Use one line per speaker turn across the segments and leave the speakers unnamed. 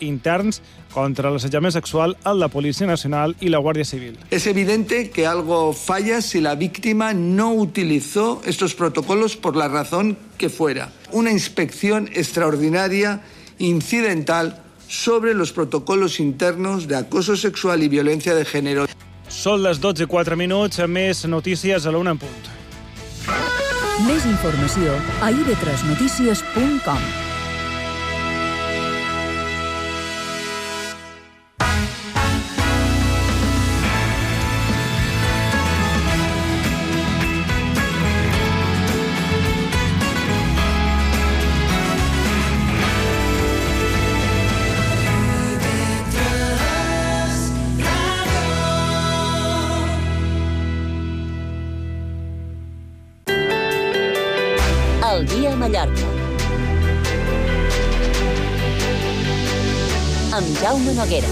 interns contra l'assetjament sexual en la Policía Nacional y la Guardia Civil.
Es evidente que algo falla si la víctima no utilizó estos protocolos por la razón que fuera. Una inspección extraordinaria, incidental, sobre los protocolos internos de acoso sexual y violencia de género.
Són les 12:04, més notícies a la 1 en punt.
Més informació a ib3notícies.com.
El dia a Mallorca. Amb Jaume Noguera.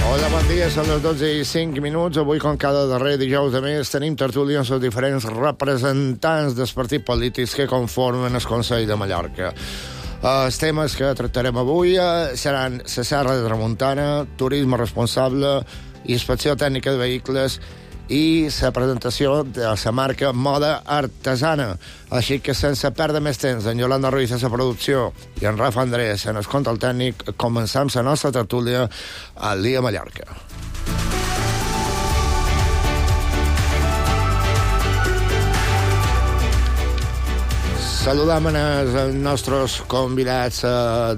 Hola, bon dia, són les 12:05. Avui, com cada darrer dijous de mes, tenim tertúlia amb els diferents representants dels partits polítics que conformen el Consell de Mallorca. Els temes que tractarem avui seran la Serra de Tramuntana, turisme responsable, inspecció tècnica de vehicles i la presentació de la marca Moda Artesana. Així que, sense perdre més temps, en Yolanda Ruiz a la producció i en Rafa Andrés en el control tècnic, començam la nostra tertúlia al dia a Mallorca. Saludam els nostres convidats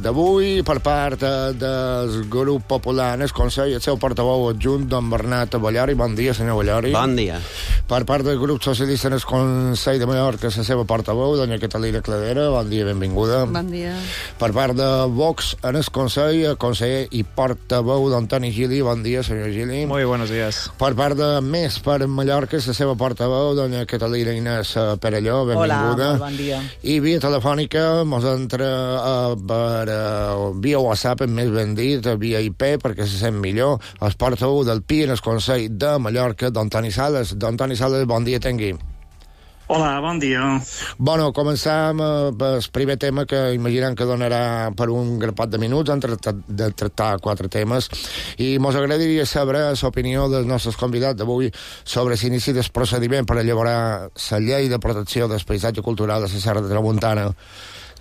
d'avui per part del grup popular en el Consell, el seu portaveu adjunt, don Bernat Bollari. Bon dia, senyor Bollari.
Bon dia.
Per part del grup socialista en el Consell de Mallorca, la seva portaveu, doña Catalina Cladera. Bon dia, benvinguda.
Bon dia.
Per part de Vox en el Consell, el conseller i portaveu d'Antoni Gili. Bon dia, senyor Gili.
Muy buenos días.
Per part de Més per Mallorca, la seva portaveu, doña Catalina Inés Perelló. Benvinguda.
Hola, molt bon dia.
I via telefònica mos entra via WhatsApp, més ben dit, via IP, perquè se sent millor, el portaveu del PI en el Consell de Mallorca, don Toni Sales. Don Toni Sales, bon dia, tengui.
Hola, bon dia.
Bueno, començam el primer tema que imaginem que donarà per un grapat de minuts. Hem de tractar 4 temes i mos agradaria saber l'opinió dels nostres convidats d'avui sobre l'inici del procediment per elaborar la llei de protecció del paisatge cultural de la Serra de Tramuntana,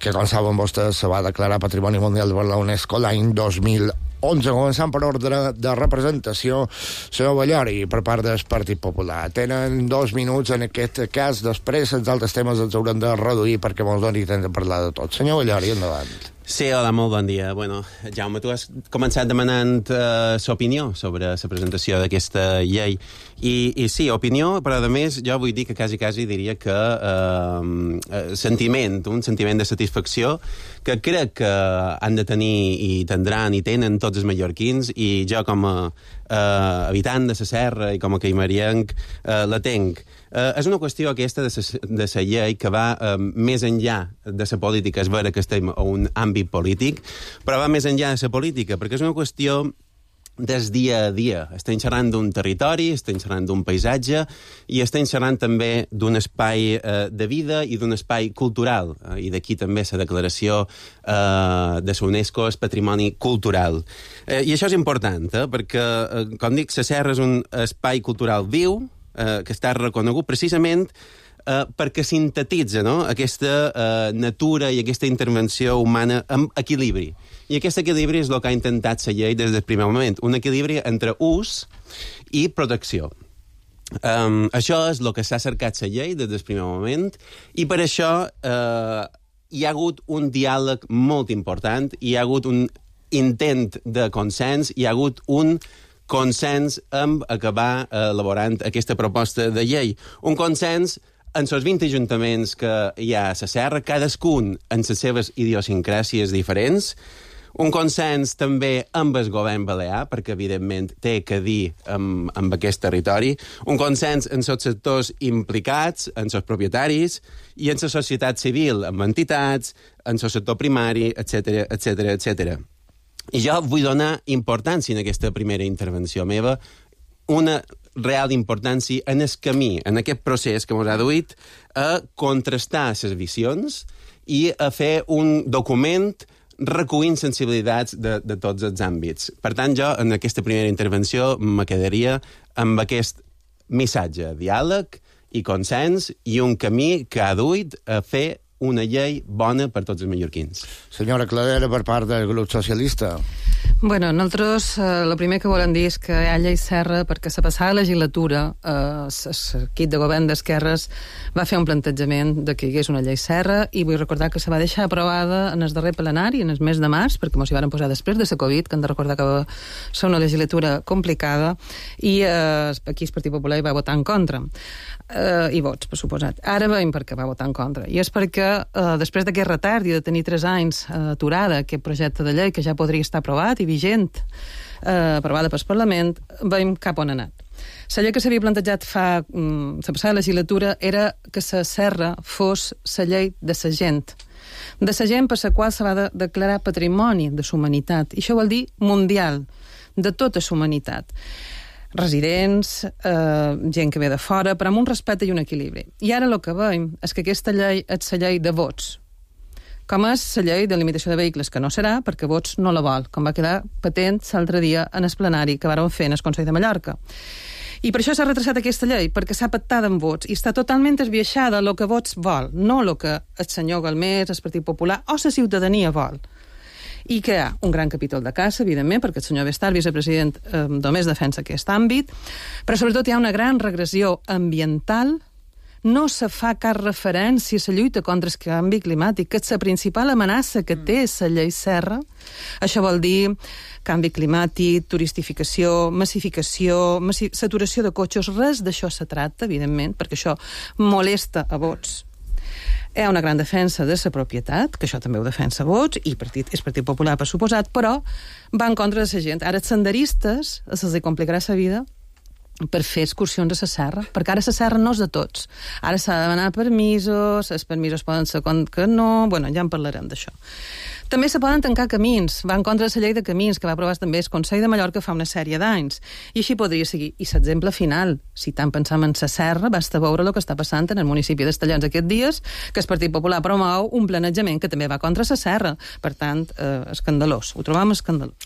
que, com saben vostès, se va declarar Patrimoni Mundial per la UNESCO l'any 2011. Començant per ordre de representació, senyor Bollari, per part del Partit Popular. Tenen 2 minuts en aquest cas, després els altres temes els haurem de reduir perquè mos doni temps de parlar de tot. Senyor Bollari, endavant.
Sí, hola, molt bon dia. Bueno, Jaume, tu has començat demanant l'opinió sobre la presentació d'aquesta llei. I sí, opinió, però a més jo vull dir que quasi diria que un sentiment de satisfacció que crec que han de tenir i tindran i tenen tots els mallorquins, i jo com a habitant de la Serra i com a caimarienc la tenc. És una qüestió aquesta de la llei que va més enllà de la política. És vera que estem a un àmbit polític, però va més enllà de la política, perquè és una qüestió des dia a dia. Estem xerrant d'un territori, estem xerrant d'un paisatge i estem xerrant també d'un espai de vida i d'un espai cultural. I d'aquí també la declaració de la UNESCO és patrimoni cultural. I això és important, perquè, com dic, la Serra és un espai cultural viu, que està reconegut precisament perquè sintetitza, no?, aquesta natura i aquesta intervenció humana amb equilibri. I aquest equilibri és el que ha intentat la llei des del primer moment, un equilibri entre ús i protecció. Això és el que s'ha cercat la llei des del primer moment, i per això hi ha hagut un diàleg molt important, hi ha hagut un intent de consens, hi ha hagut un consens amb acabar elaborant aquesta proposta de llei. Un consens en els 20 ajuntaments que hi ha a la Serra, cadascun en les seves idiosincràsies diferents, un consens també amb el govern balear, perquè evidentment té que dir amb aquest territori, un consens en els sectors implicats, en els propietaris, i en la societat civil, amb entitats, en el sector primari, etc etc etc. I jo vull donar importància en aquesta primera intervenció meva, una real importància en el camí, en aquest procés que ens ha duit a contrastar les visions i a fer un document recollint sensibilitats de tots els àmbits. Per tant, jo, en aquesta primera intervenció, me quedaria amb aquest missatge, diàleg i consens i un camí que ha duit a fer una llei bona per tots els mallorquins.
Senyora Cladera, per part del grup socialista.
Bueno, nosaltres el primer que volem dir és que hi ha llei Serra perquè la passada legislatura l'equip de govern d'esquerres va fer un plantejament de que hi hagués una llei Serra i vull recordar que se va deixar aprovada en el darrer plenari, en el mes de març, perquè ens hi van posar després de la Covid, que hem de recordar que va ser una legislatura complicada i aquí el Partit Popular hi va votar en contra. I vots, per suposat. Ara veiem per què va votar en contra. I és perquè després d'aquest retard i de tenir 3 anys aturada aquest projecte de llei que ja podria estar aprovat i vigent, aprovada pel Parlament, veiem cap on ha anat. La llei que s'havia plantejat la passada legislatura era que la Serra fos la llei de la gent per la qual se va declarar patrimoni de la humanitat. I això vol dir mundial, de tota la humanitat. Residents, gent que ve de fora, però amb un respecte i un equilibri. I ara el que veiem és que aquesta llei és la llei de vots, com és la llei de limitació de vehicles, que no serà perquè vots no la vol, com va quedar patent l'altre dia en el plenari que vàrem fer en el Consell de Mallorca. I per això s'ha retrasat aquesta llei, perquè s'ha pactat amb vots i està totalment esbiaixada el que vots vol, no el que el senyor Galmés, el Partit Popular o la ciutadania vol. I que hi ha un gran capítol de caça, evidentment, perquè el senyor Bestar, vicepresident, només defensa aquest àmbit, però sobretot hi ha una gran regressió ambiental. No se fa cap referència a la lluita contra el canvi climàtic, que és la principal amenaça que té la llei Serra. Això vol dir canvi climàtic, turistificació, massificació, saturació de cotxes, res d'això se tracta, evidentment, perquè això molesta a vots. Hi ha una gran defensa de la propietat, que això també ho defensa vots, i és Partit Popular, per suposat, però va en contra de la gent. Ara els senderistes se'ls complicarà la vida per fer excursions a la serra, perquè ara la serra no és de tots. Ara s'ha de demanar permisos, els permisos poden ser que no, bueno, ja en parlarem d'això. També se poden tancar camins, va en contra de la llei de camins, que va aprovar també el Consell de Mallorca fa una sèrie d'anys, i així podria seguir. I l'exemple final, si tant pensam en la serra, basta veure el que està passant en el municipi d'Estellans aquests dies, que el Partit Popular promou un planejament que també va contra la serra. Per tant, escandalós. Ho trobam escandalós.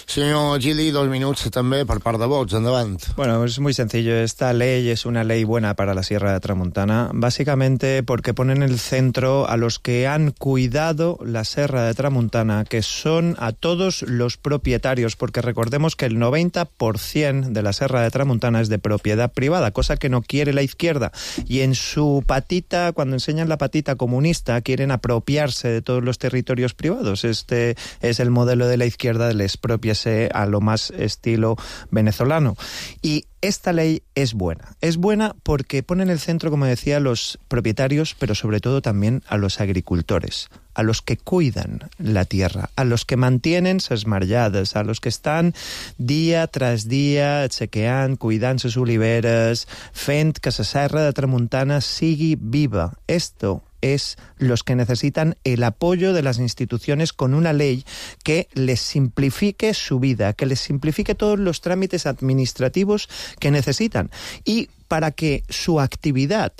Señor Gili, 2 minutos también por par de votos. Endavant.
Bueno, es muy sencillo. Esta ley es una ley buena para la Sierra de Tramuntana, básicamente porque pone en el centro a los que han cuidado la Sierra de Tramuntana, que son a todos los propietarios, porque recordemos que el 90% de la Sierra de Tramuntana es de propiedad privada, cosa que no quiere la izquierda. Y en su patita, cuando enseñan la patita comunista, quieren apropiarse de todos los territorios privados. Este es el modelo de la izquierda del expropiarse a lo más estilo venezolano. Y esta ley es buena porque pone en el centro, como decía, a los propietarios, pero sobre todo también a los agricultores, a los que cuidan la tierra, a los que mantienen ses marllades, a los que estan dia tras dia chequeant, cuidant ses oliveres, fent que la Serra de Tramuntana sigui viva. Esto es los que necesitan el apoyo de las instituciones con una ley que les simplifique su vida, que les simplifique todos los trámites administrativos que necesitan y para que su actividad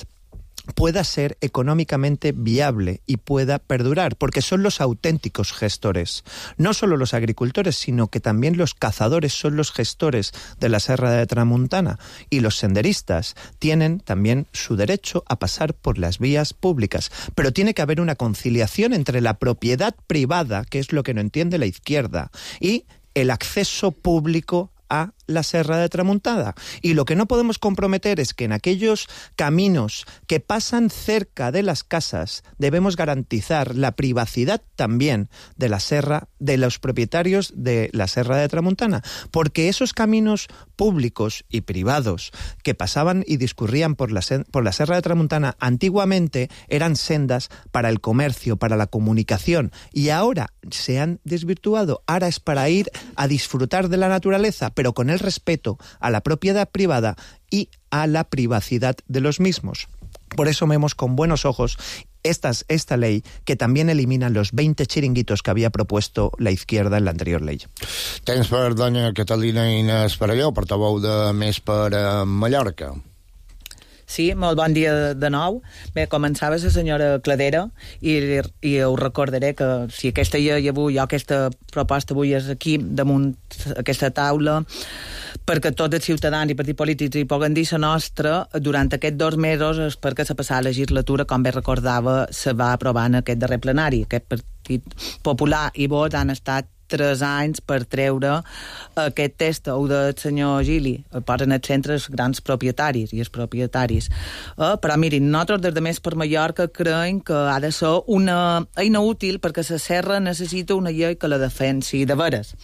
pueda ser económicamente viable y pueda perdurar, porque son los auténticos gestores. No solo los agricultores, sino que también los cazadores son los gestores de la Serra de Tramuntana, y los senderistas tienen también su derecho a pasar por las vías públicas. Pero tiene que haber una conciliación entre la propiedad privada, que es lo que no entiende la izquierda, y el acceso público a la Serra de Tramuntana. Y lo que no podemos comprometer es que en aquellos caminos que pasan cerca de las casas debemos garantizar la privacidad también de la serra, de los propietarios de la Serra de Tramuntana, porque esos caminos públicos y privados que pasaban y discurrían por la Serra de Tramuntana antiguamente eran sendas para el comercio, para la comunicación, y ahora se han desvirtuado. Ahora es para ir a disfrutar de la naturaleza, pero con el respeto a la propiedad privada y a la privacidad de los mismos. Por eso vemos con buenos ojos esta ley que también elimina los 20 chiringuitos que había propuesto la izquierda en la anterior ley.
Temps per doña Catalina Inés Perelló, portaveu de Més per Mallorca.
Sí, molt bon dia de nou. Bé, començava la senyora Cladera i us recordaré que si aquesta llei avui, o aquesta proposta avui és aquí, damunt aquesta taula, perquè tots els ciutadans i partits polítics hi puguen dir la nostra, durant aquests 2 mesos és perquè la passada legislatura, com bé recordava, se va aprovar en aquest darrer plenari. Aquest Partit Popular i Vots han estat 3 anys per treure aquest test, ho del senyor Gili, posen al centre els grans propietaris i els propietaris. Però mirin, nosaltres des de Més per Mallorca creiem que ha de ser una eina útil perquè la serra necessita una llei que la defensi de veres.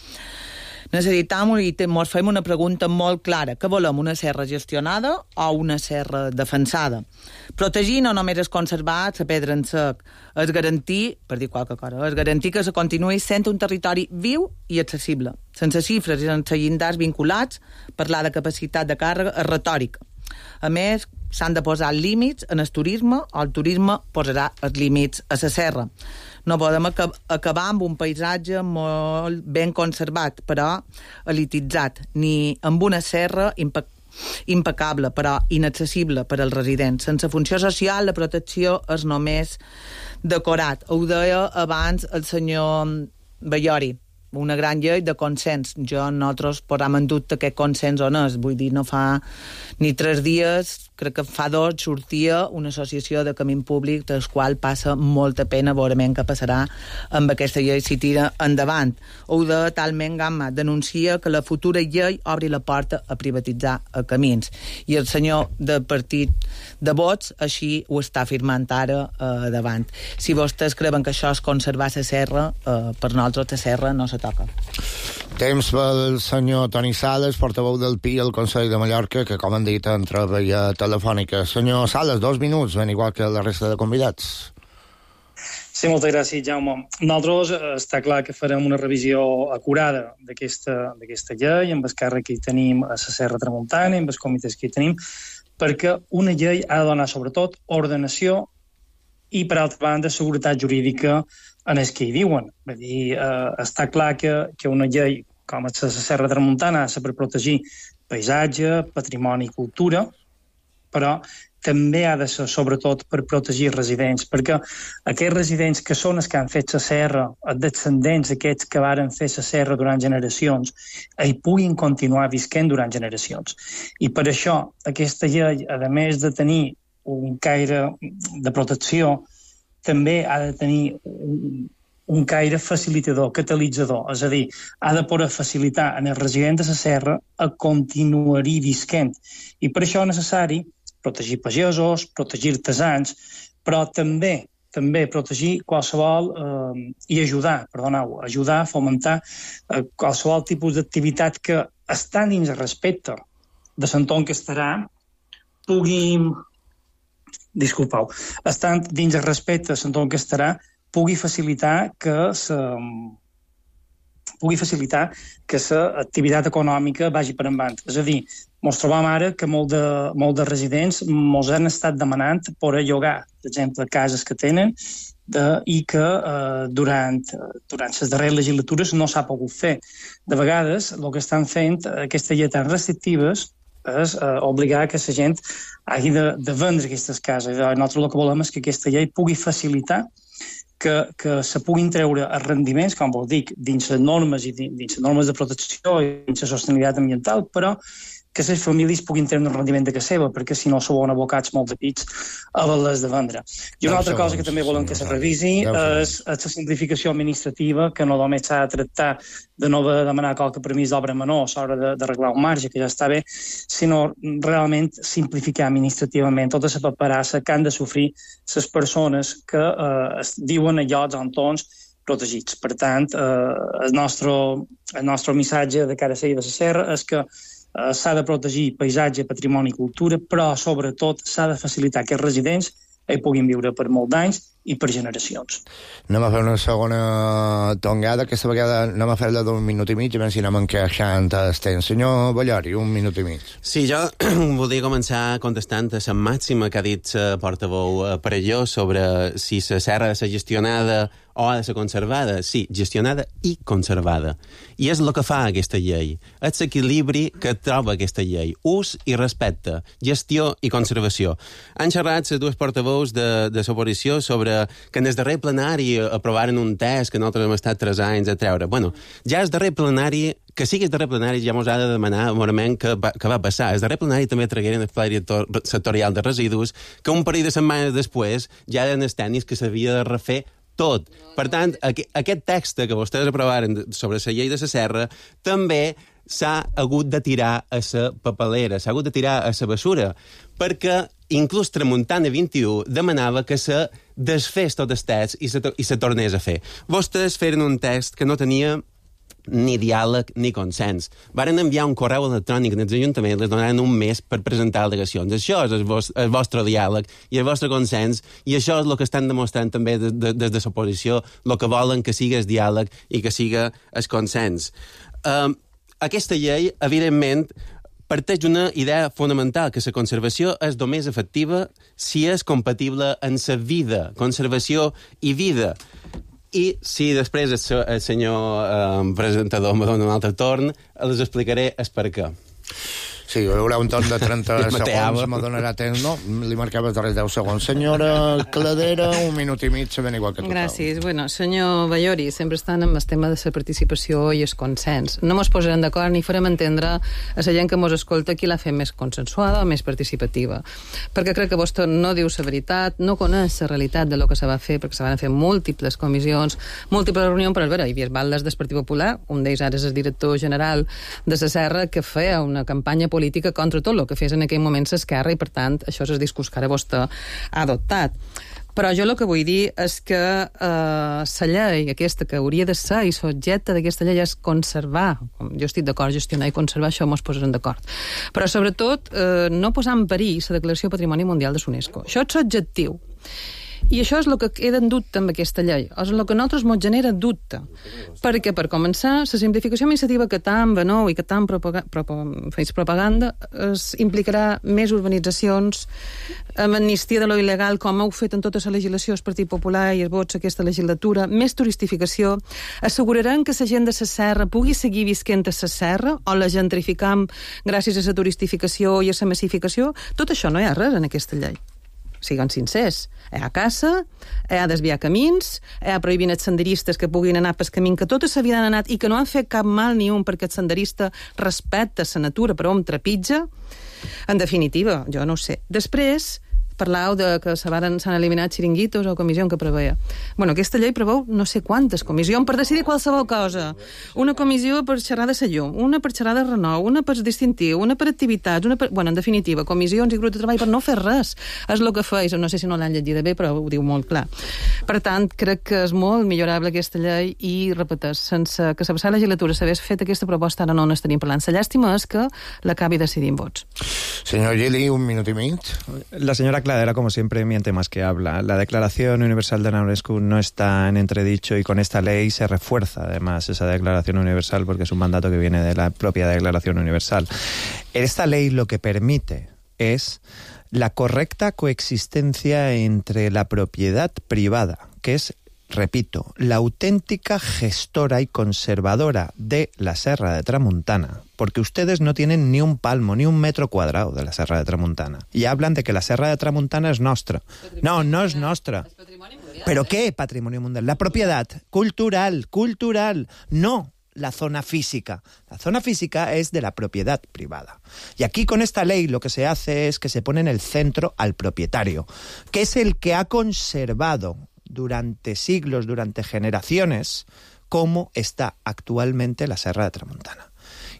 Necessitam i ens fem una pregunta molt clara. Què volem, una serra gestionada o una serra defensada? Protegir no només és conservar la pedra en sec, és garantir, per dir qualque cosa, és garantir que se continuï sent un territori viu i accessible, sense xifres i sense llindars vinculats. Parlar de capacitat de càrrega és retòrica. A més, s'han de posar límits en el turisme, o el turisme posarà els límits a la serra. No podem acabar amb un paisatge molt ben conservat, però elititzat, ni amb una serra impecable, però inaccessible per als residents. Sense funció social, la protecció és només decorat. Ho deia abans el senyor Ballori, una gran llei de consens. Nosaltres posam en dubte aquest consens on és. Vull dir, no fa ni 3 dies, crec que fa 2, sortia una associació de camí públic del qual passa molta pena veure què passarà amb aquesta llei si tira endavant. Ho de talment gamma denuncia que la futura llei obri la porta a privatitzar camins. I el senyor del partit de Vots així ho està afirmant ara davant. Si vostès creuen que això és conservar la serra, per nosaltres la serra no se toca.
Temps pel senyor Toni Sales, portaveu del PI al Consell de Mallorca, que, com han dit, entra via telefònica. Senyor Sales, 2 minuts, ben igual que la resta de convidats.
Sí, moltes gràcies, Jaume. Nosaltres està clar que farem una revisió acurada d'aquesta llei, amb el càrrec que hi tenim a la Serra Tramuntana, amb els comitès que hi tenim, perquè una llei ha de donar, sobretot, ordenació i, per altra banda, seguretat jurídica en els que hi viuen. Vull dir, està clar que una llei com la Serra Tramuntana ha de ser per protegir paisatge, patrimoni i cultura, però també ha de ser, sobretot, per protegir residents, perquè aquests residents que són els que han fet la serra, els descendents d'aquests que varen fer la serra durant generacions, hi puguin continuar visquent durant generacions. I per això, aquesta llei, a més de tenir un caire de protecció, també ha de tenir un caire facilitador, catalitzador, és a dir, ha de poder facilitar en els residents de la serra a continuar-hi visquent. I per això és necessari protegir pagesos, protegir artesans, però també protegir qualsevol i ajudar a fomentar qualsevol tipus d'activitat que, estant dins el respecte de l'entorn que estarà, estant dins el respecte de l'entorn que estarà, pugui facilitar que l'activitat econòmica vagi per endavant. És a dir, ens trobam ara que molts de residents ens han estat demanant per llogar, per exemple, cases que tenen i que durant les darreres legislatures no s'ha pogut fer. De vegades, el que estan fent aquestes lleis tan restrictives és obligar que la gent hagi de vendre aquestes cases. Nosaltres el que volem és que aquesta llei pugui facilitar que se puguin treure els rendiments, com vos dic, dins les normes i dins les normes de protecció i dins la sostenibilitat ambiental, però que les famílies puguin treure un rendiment de casa seva, perquè si no s'ho abocats molt de pits a haver-les de vendre. I una altra cosa que també volem que se revisi és la simplificació administrativa, que no només s'ha de tractar de no demanar qualque permís d'obra menor a l'hora d'arreglar un marge, que ja està bé, sinó realment simplificar administrativament tota la paperassa que han de sofrir les persones que viuen a llocs o entorns protegits. Per tant, el nostre missatge de cara a seguir de la serra és que s'ha de protegir paisatge, patrimoni i cultura, però sobretot s'ha de facilitar que els residents hi puguin viure per molts d'anys i per generacions.
Anem a fer una segona tongada, aquesta vegada anem a fer-la d'un minut i mig, a veure si anem encaixant el temps. Senyor Ballori, un minut i mig.
Sí, jo volia començar contestant a la màxima que ha dit la portaveu Parelló sobre si la serra ha de ser gestionada o ha de ser conservada. Sí, gestionada i conservada. I és el que fa aquesta llei. És l'equilibri que troba aquesta llei. Ús i respecte, gestió i conservació. Han xerrat les dues portaveus de l'oposició sobre que en el darrer plenari aprovaren un test que nosaltres hem estat 3 anys a treure. Bueno, ja el darrer plenari, que sigui el darrer plenari, ja mos ha de demanar morament què va passar. El darrer plenari també tragueren el pla director sectorial de residus, que un parell de setmanes després ja eren els tècnics que s'havia de refer tot. Per tant, aquest text que vostès aprovaren sobre la llei de la serra també s'ha hagut de tirar a la papelera, s'ha hagut de tirar a la bessura, perquè inclús Tramuntana 21 demanava que se desfés tot el text i se tornés a fer. Vostès feren un text que no tenia ni diàleg ni consens. Varen enviar un correu electrònic als ajuntaments, les donaran un mes per presentar al·legacions. Això és el vostre diàleg i el vostre consens, i això és el que estan demostrant també des de l'oposició, el que volen que sigui el diàleg i que sigui el consens. Aquesta llei, evidentment, parteix d'una idea fonamental, que la conservació és només efectiva si és compatible amb la vida, conservació i vida. I si després el senyor presentador me dona un altre torn, els explicaré el per què.
Sí, hi haurà un torn de 30 segons, me donarà temps, no? Li marcava els darrers 10 segons. Senyora Cladera, un minut i mig, sabent igual que tothom.
Gràcies. Bueno, senyor Ballori, sempre estan amb el tema de la participació i el consens. No mos posarem d'acord ni farem entendre a la gent que mos escolta qui l'ha fet més consensuada o més participativa. Perquè crec que vostè no diu la veritat, no coneix la realitat de lo que se va fer, perquè se van fer múltiples comissions, múltiples reunions, però hi havia baldes del Partit Popular, un d'ells ara és el director general de la Serra, que feia una campanya política contra tot el que fes en aquell moment l'Esquerra, i per tant això és el discurs que ara vostè ha adoptat. Però jo el que vull dir és que la llei aquesta que hauria de ser i l'objecte d'aquesta llei és conservar. Jo estic d'acord, gestionar i conservar, això mos posarem d'acord. Però sobretot no posar en perill la Declaració Patrimoni Mundial de l'UNESCO. Això és l'objectiu. I això és el que queda en dubte amb aquesta llei, és el que a nosaltres ens genera dubte, perquè, per començar, la simplificació administrativa que tant venou i que tant feis propaganda implicarà més urbanitzacions, amb amnistia de lo il·legal, com heu fet en tota la legislació el Partit Popular i els vots aquesta legislatura, més turistificació, asseguraran que la gent de la serra pugui seguir visquent a la serra, o la gentrificam gràcies a la turistificació i a la massificació. Tot això no hi ha res en aquesta llei. Siguem sincers, hi ha caça, hi ha desviar camins, hi ha prohibint els senderistes que puguin anar pel camí que totes s'havien anat i que no han fet cap mal ni un perquè el senderista respecta la natura però hom trepitja. En definitiva, jo no ho sé. Després, parlàveu de que s'han eliminat xiringuitos o comissió que preveia. Bueno, aquesta llei preveu no sé quantes comissions per decidir qualsevol cosa. Una comissió per xerrar de la llum, una per xerrar de renou, una per distintiu, una per activitats, una per... Bueno, en definitiva, comissions i grups de treball per no fer res. És el que feis. No sé si no l'han llegit bé, però ho diu molt clar. Per tant, crec que és molt millorable aquesta llei i, repeteix, sense que la passada legislatura s'hagués fet aquesta proposta, ara no n'estaríem parlant. La llàstima és que l'acabi decidint vots.
Senyor Gili, un minut i mig.
La señora Cladera, como siempre, miente más que habla. La Declaración Universal de la UNESCO no está en entredicho y con esta ley se refuerza además esa Declaración Universal porque es un mandato que viene de la propia Declaración Universal. Esta ley lo que permite es la correcta coexistencia entre la propiedad privada, que es, repito, la auténtica gestora y conservadora de la Serra de Tramuntana, porque ustedes no tienen ni un palmo, ni un metro cuadrado de la Serra de Tramuntana. Y hablan de que la Serra de Tramuntana es nostra. No, no es nostra. ¿Pero qué patrimonio mundial? La propiedad cultural, no la zona física. La zona física es de la propiedad privada. Y aquí con esta ley lo que se hace es que se pone en el centro al propietario, que es el que ha conservado durante siglos, durante generaciones, cómo está actualmente la Serra de Tramuntana.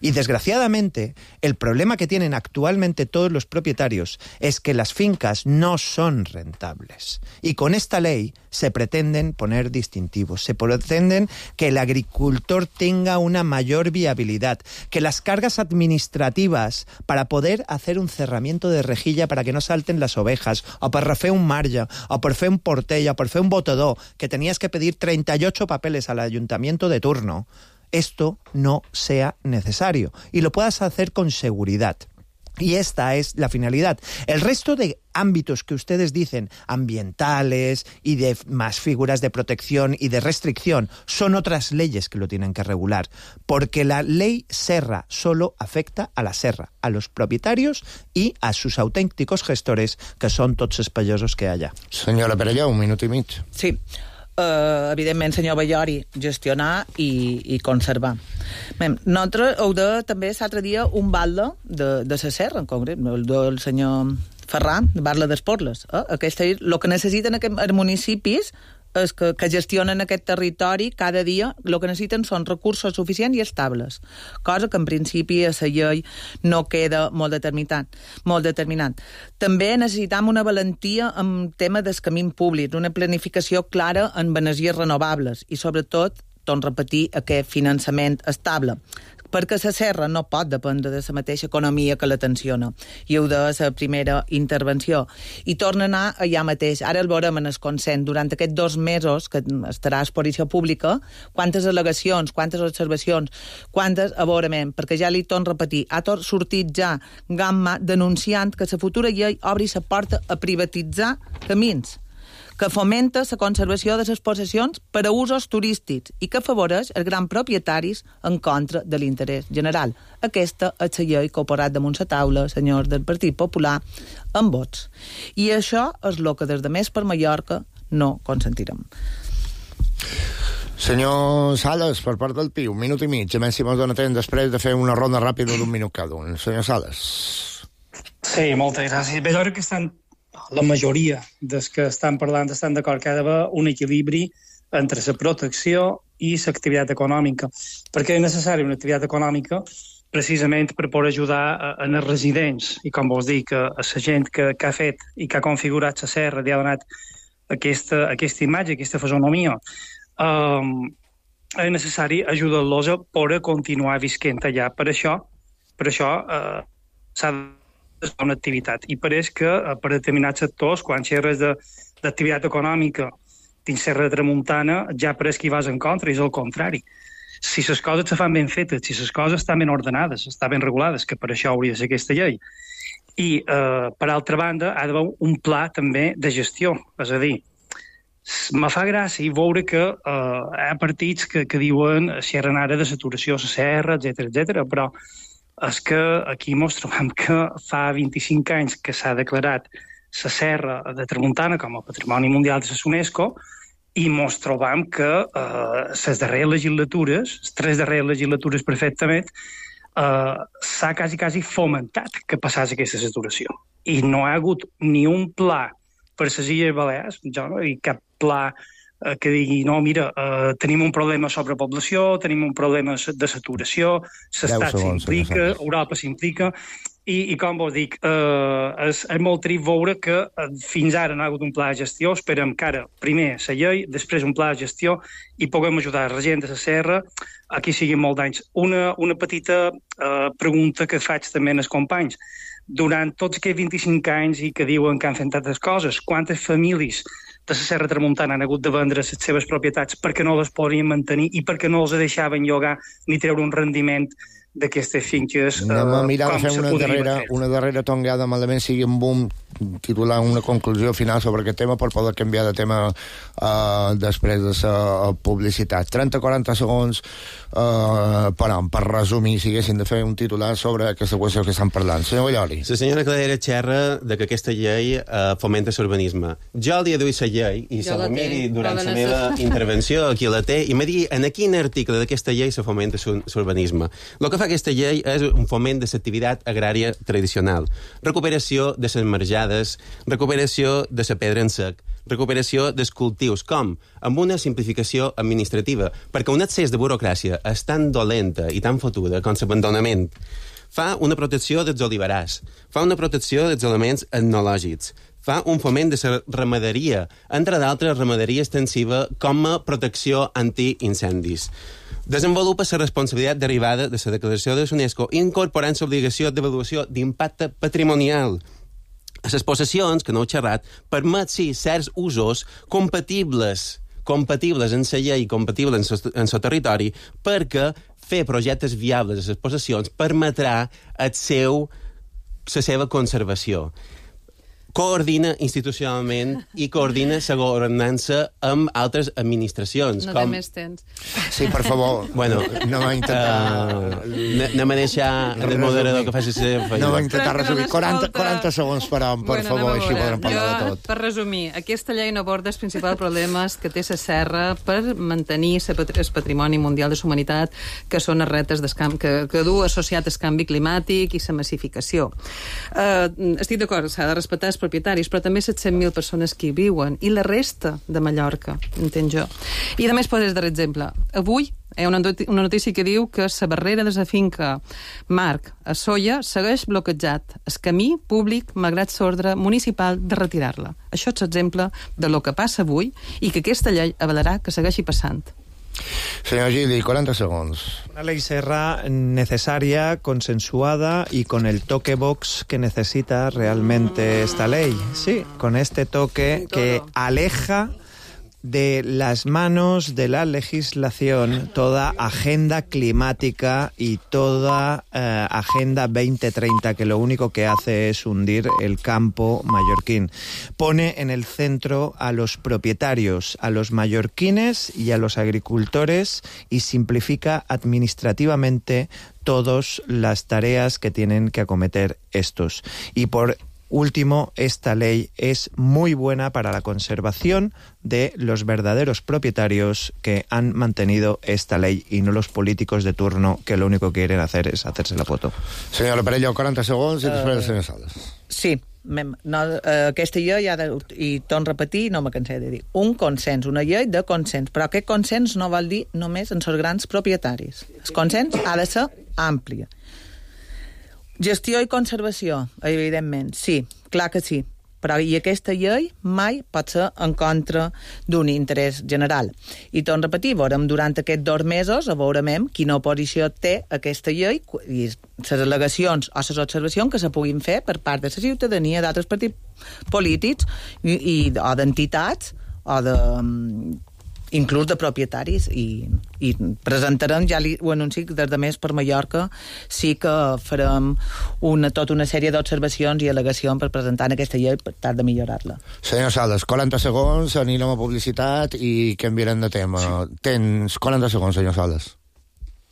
Y desgraciadamente, el problema que tienen actualmente todos los propietarios es que las fincas no son rentables. Y con esta ley se pretenden poner distintivos, se pretenden que el agricultor tenga una mayor viabilidad, que las cargas administrativas para poder hacer un cerramiento de rejilla para que no salten las ovejas, o per refer un marge, o per fer un portell, o per fer un botador, que tenías que pedir 38 papeles al ayuntamiento de turno, esto no sea necesario y lo puedas hacer con seguridad. Y esta es la finalidad. El resto de ámbitos que ustedes dicen, ambientales y de más figuras de protección y de restricción, son otras leyes que lo tienen que regular, porque la ley Serra solo afecta a la serra, a los propietarios y a sus auténticos gestores, que són tots els pagesos que hi ha.
Senyora Perelló, un minut i mig.
Sí. Evidentment, senyor Ballori, gestionar i conservar. Bé, nosaltres heu de també l'altre dia un balde de la serra, en concret, el del senyor Ferran, de Barla d'Esporles. Aquesta és el que necessiten els municipis és que gestionen aquest territori cada dia, el que necessiten són recursos suficients i estables, cosa que en principi a la llei no queda molt determinat. També necessitam una valentia en tema del camí públic, una planificació clara en energies renovables i sobretot, torno a repetir, aquest finançament estable, perquè la serra no pot dependre de la mateixa economia que la tensiona. I ho de la primera intervenció. I torna a anar allà mateix. Ara el veurem en el consens. Durant aquests 2 mesos que estarà a exposició pública, quantes al·legacions, quantes observacions, quantes avorament, perquè ja li torno a repetir, ha sortit ja Gamma denunciant que la futura llei obri la porta a privatitzar camins, que fomenta la conservació de les possessions per a usos turístics i que afavoreix els grans propietaris en contra de l'interès general. Aquesta és la llei que ha posat damunt la taula, senyors del Partit Popular, amb vots. I això és el que des de Més per Mallorca no consentirem.
Senyor Sales, per part del PIU, un minut i mig, a més si mos dona temps després de fer una ronda ràpida d'1 minut cada un. Senyor Sales.
Sí, moltes gràcies. Bé, jo crec que la majoria dels que estan parlant estan d'acord que ha d'haver un equilibri entre la protecció i l'activitat econòmica, perquè és necessària una activitat econòmica precisament per poder ajudar en els residents i, com vos dic, a la gent que ha fet i que ha configurat la serra i ha donat aquesta imatge, aquesta fisonomia. És necessari ajudar-los a poder continuar visquent allà. Per això s'ha de una activitat. I pareix que per determinats sectors, quan xerres d'activitat econòmica dins Serra de Tramuntana, ja pareix que hi vas en contra, i és el contrari. Si les coses se fan ben fetes, si les coses estan ben ordenades, estan ben regulades, que per això hauria de ser aquesta llei. I, per altra banda, ha d'haver un pla també de gestió. És a dir, me fa gràcia veure que hi ha partits que diuen xerren ara de saturació a la serra, etc., però és que aquí ens trobem que fa 25 anys que s'ha declarat la serra de Tramuntana com a Patrimoni Mundial de la UNESCO i ens trobem que les darreres legislatures, les 3 darreres legislatures perfectament, s'ha quasi fomentat que passés aquesta saturació. I no hi ha hagut ni un pla per les Illes Balears, i cap pla que digui, no, mira, tenim un problema de sobrepoblació, tenim un problema de saturació, l'Estat s'implica, Europa s'implica, i com vos dic, és molt trist veure que fins ara no ha hagut un pla de gestió. Esperem que ara, primer la llei, després un pla de gestió, i puguem ajudar la gent de la serra a que siguin molt d'anys. Una petita pregunta que faig també als companys. Durant tots aquests 25 anys i que diuen que han fet tantes coses, quantes famílies de la Serra Tramuntana han hagut de vendre les seves propietats perquè no les podien mantenir i perquè no els deixaven llogar ni treure un rendiment d'aquestes finques?
Anem a mirar de fer una darrera tongada, malament sigui un boom, titular una conclusió final sobre aquest tema per poder canviar de tema després de la publicitat. 30-40 segons per resumir, si haguessin de fer un titular sobre aquesta qüestió que estan parlant. Senyor Ballori.
La senyora Cladera xerra de que aquesta llei fomenta l'urbanisme. Jo el dia d'avui la llei, i se la miri durant la meva intervenció, aquí la té, i me digui en quin article d'aquesta llei se fomenta l'urbanisme. El que fa aquesta llei és un foment de l'activitat agrària tradicional, recuperació de les marjades, recuperació de la pedra en sec, recuperació dels cultius. Com? Amb una simplificació administrativa, perquè un excés de burocràcia és tan dolenta i tan fotuda com l'abandonament. Fa una protecció dels oliverars, fa una protecció dels elements etnològics, fa un foment de la ramaderia, entre d'altres ramaderia extensiva com a protecció anti-incendis. Desenvolupa la responsabilitat derivada de la declaració de l'UNESCO incorporant l'obligació d'avaluació d'impacte patrimonial. A les possessions, que no heu xerrat, permet, sí, certs usos compatibles en la llei i compatibles en el territori, perquè fer projectes viables a les possessions permetrà la seva conservació. Coordina institucionalment i coordina la governança amb altres administracions.
No té més temps.
Sí, per favor.
Bueno,
no va intentar...
Anem a deixar el moderador que faci la seva feina.
No va intentar resumir. 40 segons, però, per favor, així podrem parlar de tot.
Per resumir, aquesta llei no aborda els principals problemes que té la serra per mantenir el patrimoni mundial de la humanitat, que són les retes que du associat al canvi climàtic i la massificació. Estic d'acord, s'ha de respectar els propietaris, però també 700.000 persones que hi viuen, i la resta de Mallorca, entenc jo. I a més, podes dar exemple. Avui hi ha una notícia que diu que la barrera de la finca Marc a Solla segueix bloquejat. El camí públic, malgrat l'ordre municipal de retirar-la. Això és l'exemple de lo que passa avui i que aquesta llei avalarà que segueixi passant.
Señor Gili, 40 segundos.
Una ley serra necesaria, consensuada y con el toque Vox que necesita realmente esta ley. Sí, con este toque que aleja de las manos de la legislación toda agenda climática y toda agenda 2030, que lo único que hace es hundir el campo mallorquín. Pone en el centro a los propietarios, a los mallorquines y a los agricultores, y simplifica administrativamente todas las tareas que tienen que acometer estos. Y por último, esta ley es muy buena para la conservación de los verdaderos propietarios que han mantenido esta ley y no los políticos de turno que lo único que quieren hacer es hacerse la foto.
Senyora Perello, 40 segons i després el senyor Sales.
Sí, aquesta llei i torno a repetir, no me cansé de dir, un consens, una llei de consens, però aquest consens no vol dir només en els grans propietaris. El consens ha de ser àmplia. Gestió i conservació, evidentment, sí, clar que sí, però i aquesta llei mai pot ser en contra d'un interès general. I torno a repetir, veurem durant aquests 2 mesos, veurem quina oposició té aquesta llei i les al·legacions o les observacions que se puguin fer per part de la ciutadania, d'altres partits polítics o d'entitats o inclús de propietaris, i presentarem, ja ho anuncio, des de Més per Mallorca sí que farem tota una sèrie d'observacions i al·legacions per presentar aquesta llei per tal de millorar-la.
Senyor Sales, 40 segons, anirem a publicitat i canviarem de tema. Tens 40 segons, senyor Sales.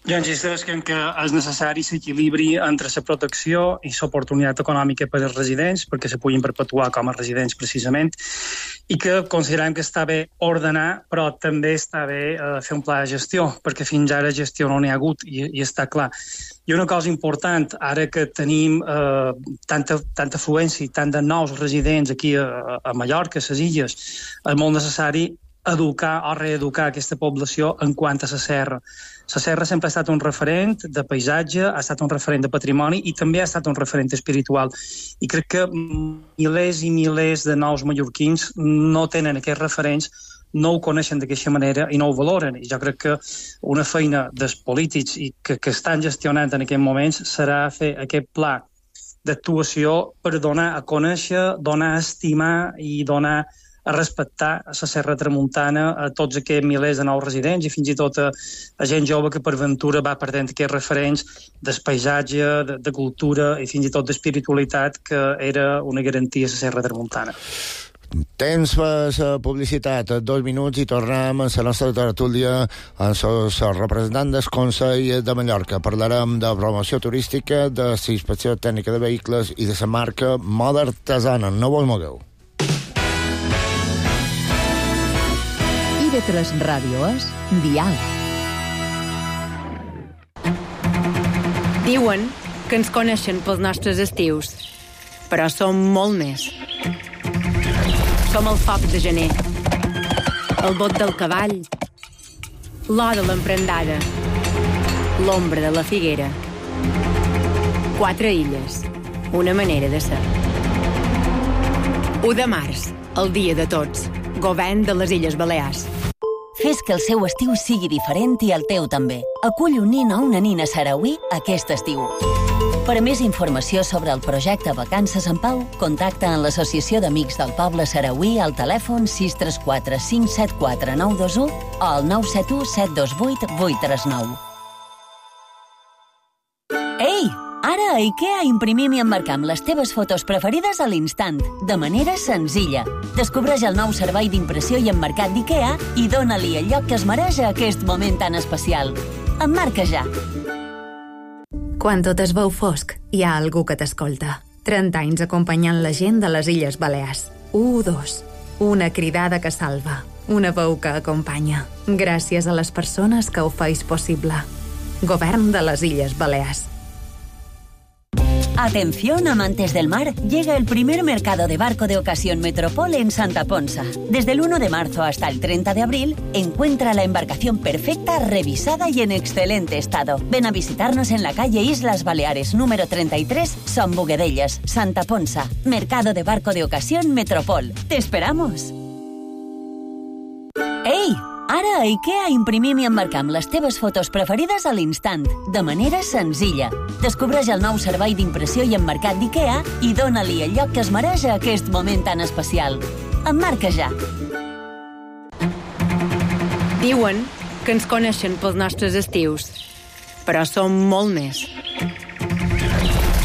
Jo insisteix que és necessari l'equilibri entre la protecció i l'oportunitat econòmica per als residents, perquè se puguin perpetuar com a residents precisament, i que considerem que està bé ordenar, però també està bé fer un pla de gestió, perquè fins ara gestió no n'hi ha hagut, i està clar. I una cosa important, ara que tenim tanta afluència i tant de nous residents aquí a Mallorca, a les illes, és molt necessari educar o reeducar aquesta població en quant a la serra. La serra sempre ha estat un referent de paisatge, ha estat un referent de patrimoni i també ha estat un referent espiritual. I crec que milers i milers de nous mallorquins no tenen aquests referents, no ho coneixen d'aquesta manera i no ho valoren. I jo crec que una feina dels polítics que estan gestionant en aquests moments serà fer aquest pla d'actuació per donar a conèixer, donar a estimar i donar a respectar la serra tramuntana a tots aquests milers de nous residents i fins i tot a gent jove que per ventura va perdent aquests referents del paisatge, de cultura i fins i tot d'espiritualitat que era una garantia a la serra tramuntana.
Temps per la publicitat, 2 minuts i tornem a la nostra tertúlia amb els representants del Consell de Mallorca. Parlarem de promoció turística, de la inspecció tècnica de vehicles i de la marca Moda Artesana. No vos mogueu.
TV3 Ràdio és Dial.
Diuen que ens coneixen pels nostres estius, però som molt més. Som el foc de gener, el bot del cavall, l'or de l'emprendada, l'ombra de la figuera. 4 illes, una manera de ser. 1 de març, el dia de tots, govern de les Illes Balears.
Fes que el seu estiu sigui diferent i el teu també. Acull un nin o una nina sarauí aquest estiu. Per a més informació sobre el projecte Vacances en Pau, contacta amb l'Associació d'Amics del Poble Sarauí al telèfon 634 574 921 o al 971 728 839. Ei! Ara a IKEA imprimim i emmarcam les teves fotos preferides a l'instant, de manera senzilla. Descobreix el nou servei d'impressió i emmarcat d'IKEA i dóna-li el lloc que es mereix a aquest moment tan especial. Emmarca ja!
Quan tot es veu fosc, hi ha algú que t'escolta. 30 anys acompanyant la gent de les Illes Balears. 1, 2. Una cridada que salva. Una veu que acompanya. Gràcies a les persones que ho feis possible. Govern de les Illes Balears.
Atención, amantes del mar, llega el primer mercado de barco de ocasión Metropol en Santa Ponsa. Desde el 1 de marzo hasta el 30 de abril, encuentra la embarcación perfecta, revisada y en excelente estado. Ven a visitarnos en la calle Islas Baleares, número 33, Son Boguedellas, Santa Ponsa. Mercado de barco de ocasión Metropol. ¡Te esperamos! ¡Ei! Ara a IKEA imprimim i emmarcam les teves fotos preferides a l'instant, de manera senzilla. Descobreix el nou servei d'impressió i emmarcat d'IKEA i dóna-li el lloc que es mereix a aquest moment tan especial. Emmarca ja!
Diuen que ens coneixen pels nostres estius, però som molt més.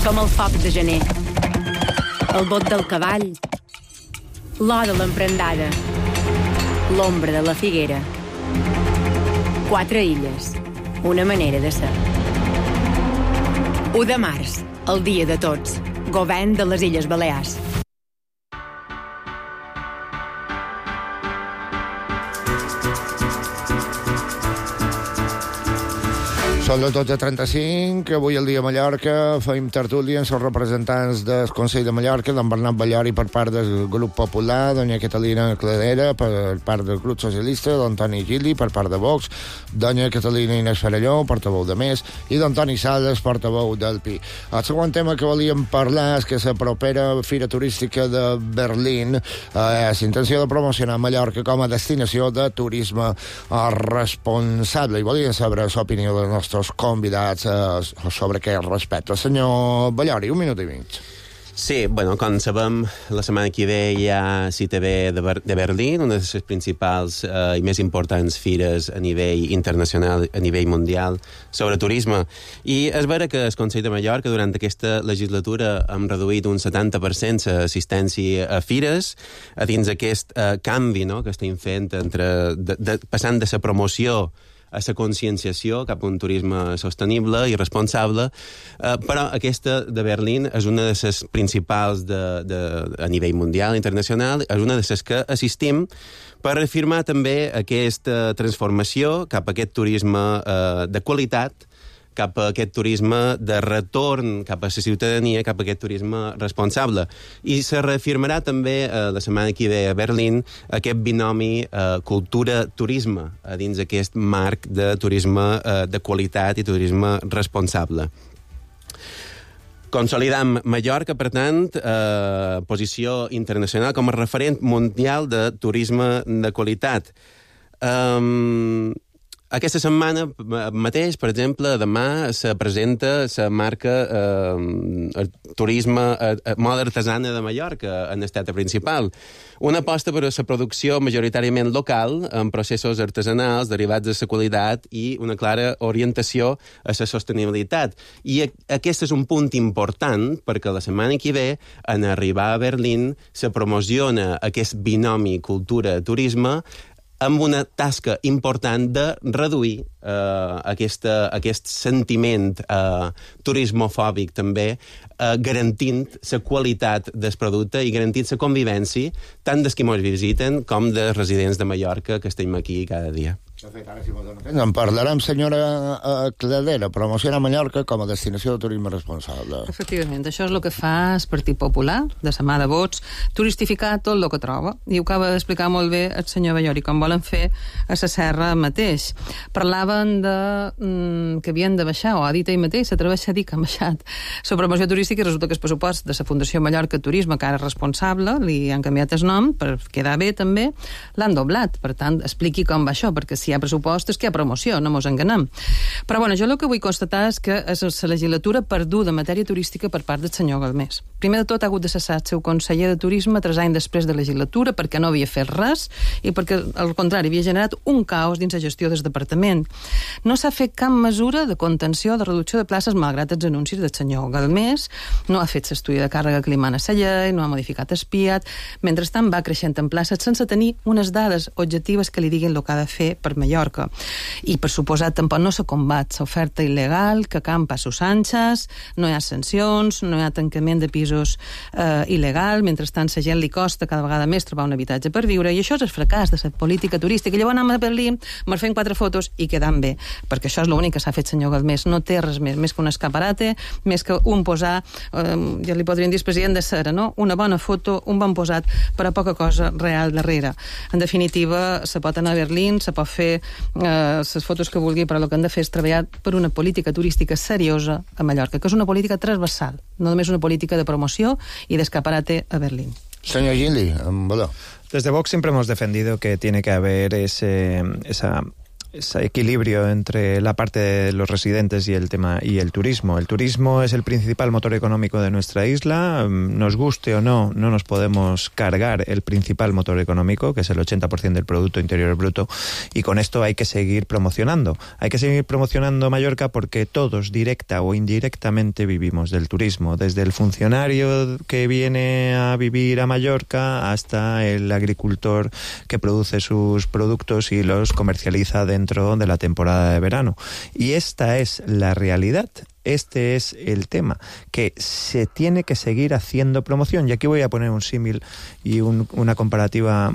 Som el foc de gener, el bot del cavall, l'or de l'emprendada, l'ombra de la figuera. 4 illes, una manera de ser. 1 de març, el dia de tots, govern de les Illes Balears.
Són les 12:35, avui el dia a Mallorca, fem tertúlia amb els representants del Consell de Mallorca, d'en Bernat Ballori per part del grup popular, doña Catalina Cladera per part del grup socialista, don Toni Gili per part de Vox, doña Catalina Inés Farelló, portaveu de Més, i don Toni Sales, portaveu del PI. El segon tema que volíem parlar és que la propera Fira Turística de Berlín és intenció de promocionar Mallorca com a destinació de turisme responsable, i volíem saber l'opinió dels nostres convidats sobre aquest respecte. Senyor Ballori, 1 minut i mig.
Sí, bueno, com sabem, la setmana que ve hi ha CITB de Berlín, una de les principals i més importants fires a nivell internacional, a nivell mundial, sobre turisme. I és vera que el Consell de Mallorca, durant aquesta legislatura, hem reduït un 70% l'assistència a fires, a dins aquest canvi, no?, que estem fent passant de la promoció a la conscienciació cap a un turisme sostenible i responsable, però aquesta de Berlín és una de les principals a nivell mundial, internacional, és una de les que assistim per afirmar també aquesta transformació cap a aquest turisme de qualitat, cap a aquest turisme de retorn cap a la ciutadania, cap a aquest turisme responsable. I se reafirmarà també la setmana que ve a Berlín aquest binomi cultura-turisme a dins aquest marc de turisme de qualitat i turisme responsable. Consolidam Mallorca, per tant, posició internacional com a referent mundial de turisme de qualitat. Aquesta setmana mateix, per exemple, demà se presenta la marca Turisme Moda Artesana de Mallorca en estat principal. Una aposta per a la producció majoritàriament local, amb processos artesanals derivats de la qualitat i una clara orientació a la sostenibilitat. I aquest és un punt important perquè la setmana que ve, en arribar a Berlín, se promociona aquest binomi cultura-turisme amb una tasca important de reduir aquest sentiment turismofòbic també, garantint la qualitat del producte i garantint la convivència tant dels que ens visiten com dels residents de Mallorca que estem aquí cada dia.
De fet, ara si m'ho dono temps, en parlarem, senyora Cladera, promocionar Mallorca com a destinació de turisme responsable.
Efectivament, això és el que fa el Partit Popular, de sa mà de vots, turistificar tot el que troba. I ho acaba d'explicar molt bé el senyor Ballori, com volen fer a la Serra mateix. Parlaven que havien de baixar, o ha dit ell mateix, s'atreveix a dir que han baixat la promoció turística, i resulta que el pressupost de la Fundació Mallorca Turisme, que ara és responsable, li han canviat el nom per quedar bé també, l'han doblat. Per tant, expliqui com va això, perquè si hi ha pressupost és que hi ha promoció, no mos enganem. Però bueno, jo el que vull constatar és que és la legislatura perduda en matèria turística per part del senyor Galmés. Primer de tot ha hagut de cessar el seu conseller de turisme 3 anys després de legislatura perquè no havia fet res i perquè, al contrari, havia generat un caos dins la gestió del departament. No s'ha fet cap mesura de contenció, de reducció de places, malgrat els anuncis del senyor Galmés, no ha fet l'estudi de càrrega que li mana la llei, no ha modificat el PIAT, mentrestant va creixent en places sense tenir unes dades objectives que li diguin el que ha de fer per Mallorca. I, per suposat, tampoc no se combat l'oferta il·legal que campa a sus anxes, no hi ha sancions, no hi ha tancament de pisos il·legal, mentrestant la gent li costa cada vegada més trobar un habitatge per viure, i això és el fracàs de la política turística. I llavors anem a Berlín, ens fem 4 fotos i quedam bé, perquè això és l'únic que s'ha fet senyor Galmés, no té res més que un escaparate, més que un posar, ja li podrien dir president de cera, no? Una bona foto, un bon posat, però poca cosa real darrere. En definitiva, se pot anar a Berlín, se pot fer les fotos que vulgui, però el que han de fer és treballar per una política turística seriosa a Mallorca, que és una política transversal, no només una política de promoció y de escaparate a Berlín.
Señor Gili,
desde Vox siempre hemos defendido que tiene que haber ese equilibrio entre la parte de los residentes y el tema y el turismo. El turismo es el principal motor económico de nuestra isla. Nos guste o no, no nos podemos cargar el principal motor económico, que es el 80% del Producto Interior Bruto, y con esto hay que seguir promocionando. Hay que seguir promocionando Mallorca porque todos, directa o indirectamente, vivimos del turismo. Desde el funcionario que viene a vivir a Mallorca hasta el agricultor que produce sus productos y los comercializa dentro de la temporada de verano. Y esta es la realidad. Este es el tema, que se tiene que seguir haciendo promoción. Y aquí voy a poner un símil y una comparativa.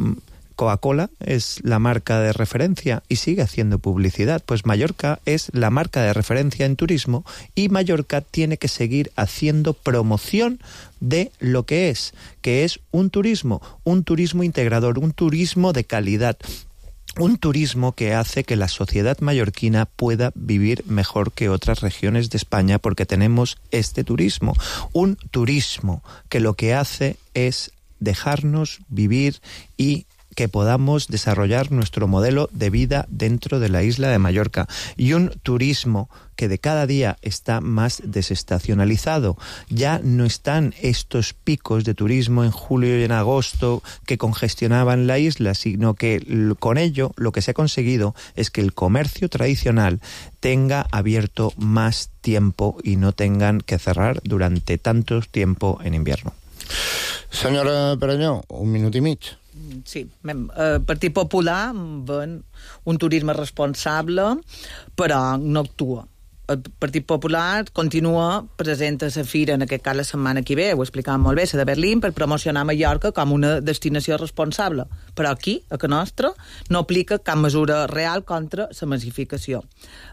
Coca-Cola es la marca de referencia y sigue haciendo publicidad. Pues Mallorca es la marca de referencia en turismo y Mallorca tiene que seguir haciendo promoción de lo que es un turismo integrador, un turismo de calidad. Un turismo que hace que la sociedad mallorquina pueda vivir mejor que otras regiones de España porque tenemos este turismo. Un turismo que lo que hace es dejarnos vivir y que podamos desarrollar nuestro modelo de vida dentro de la isla de Mallorca. Y un turismo que de cada día está más desestacionalizado. Ya no están estos picos de turismo en julio y en agosto que congestionaban la isla, sino que con ello lo que se ha conseguido es que el comercio tradicional tenga abierto más tiempo y no tengan que cerrar durante tanto tiempo en invierno.
Senyora Peranyó, 1 minut i mig.
Sí, el Partit Popular ven un turisme responsable, però no actua. El Partit Popular continua present a la fira, en aquest cas la setmana que ve, ho explicàvem molt bé, la de Berlín, per promocionar Mallorca com una destinació responsable. Però aquí, a casa nostra, no aplica cap mesura real contra la massificació.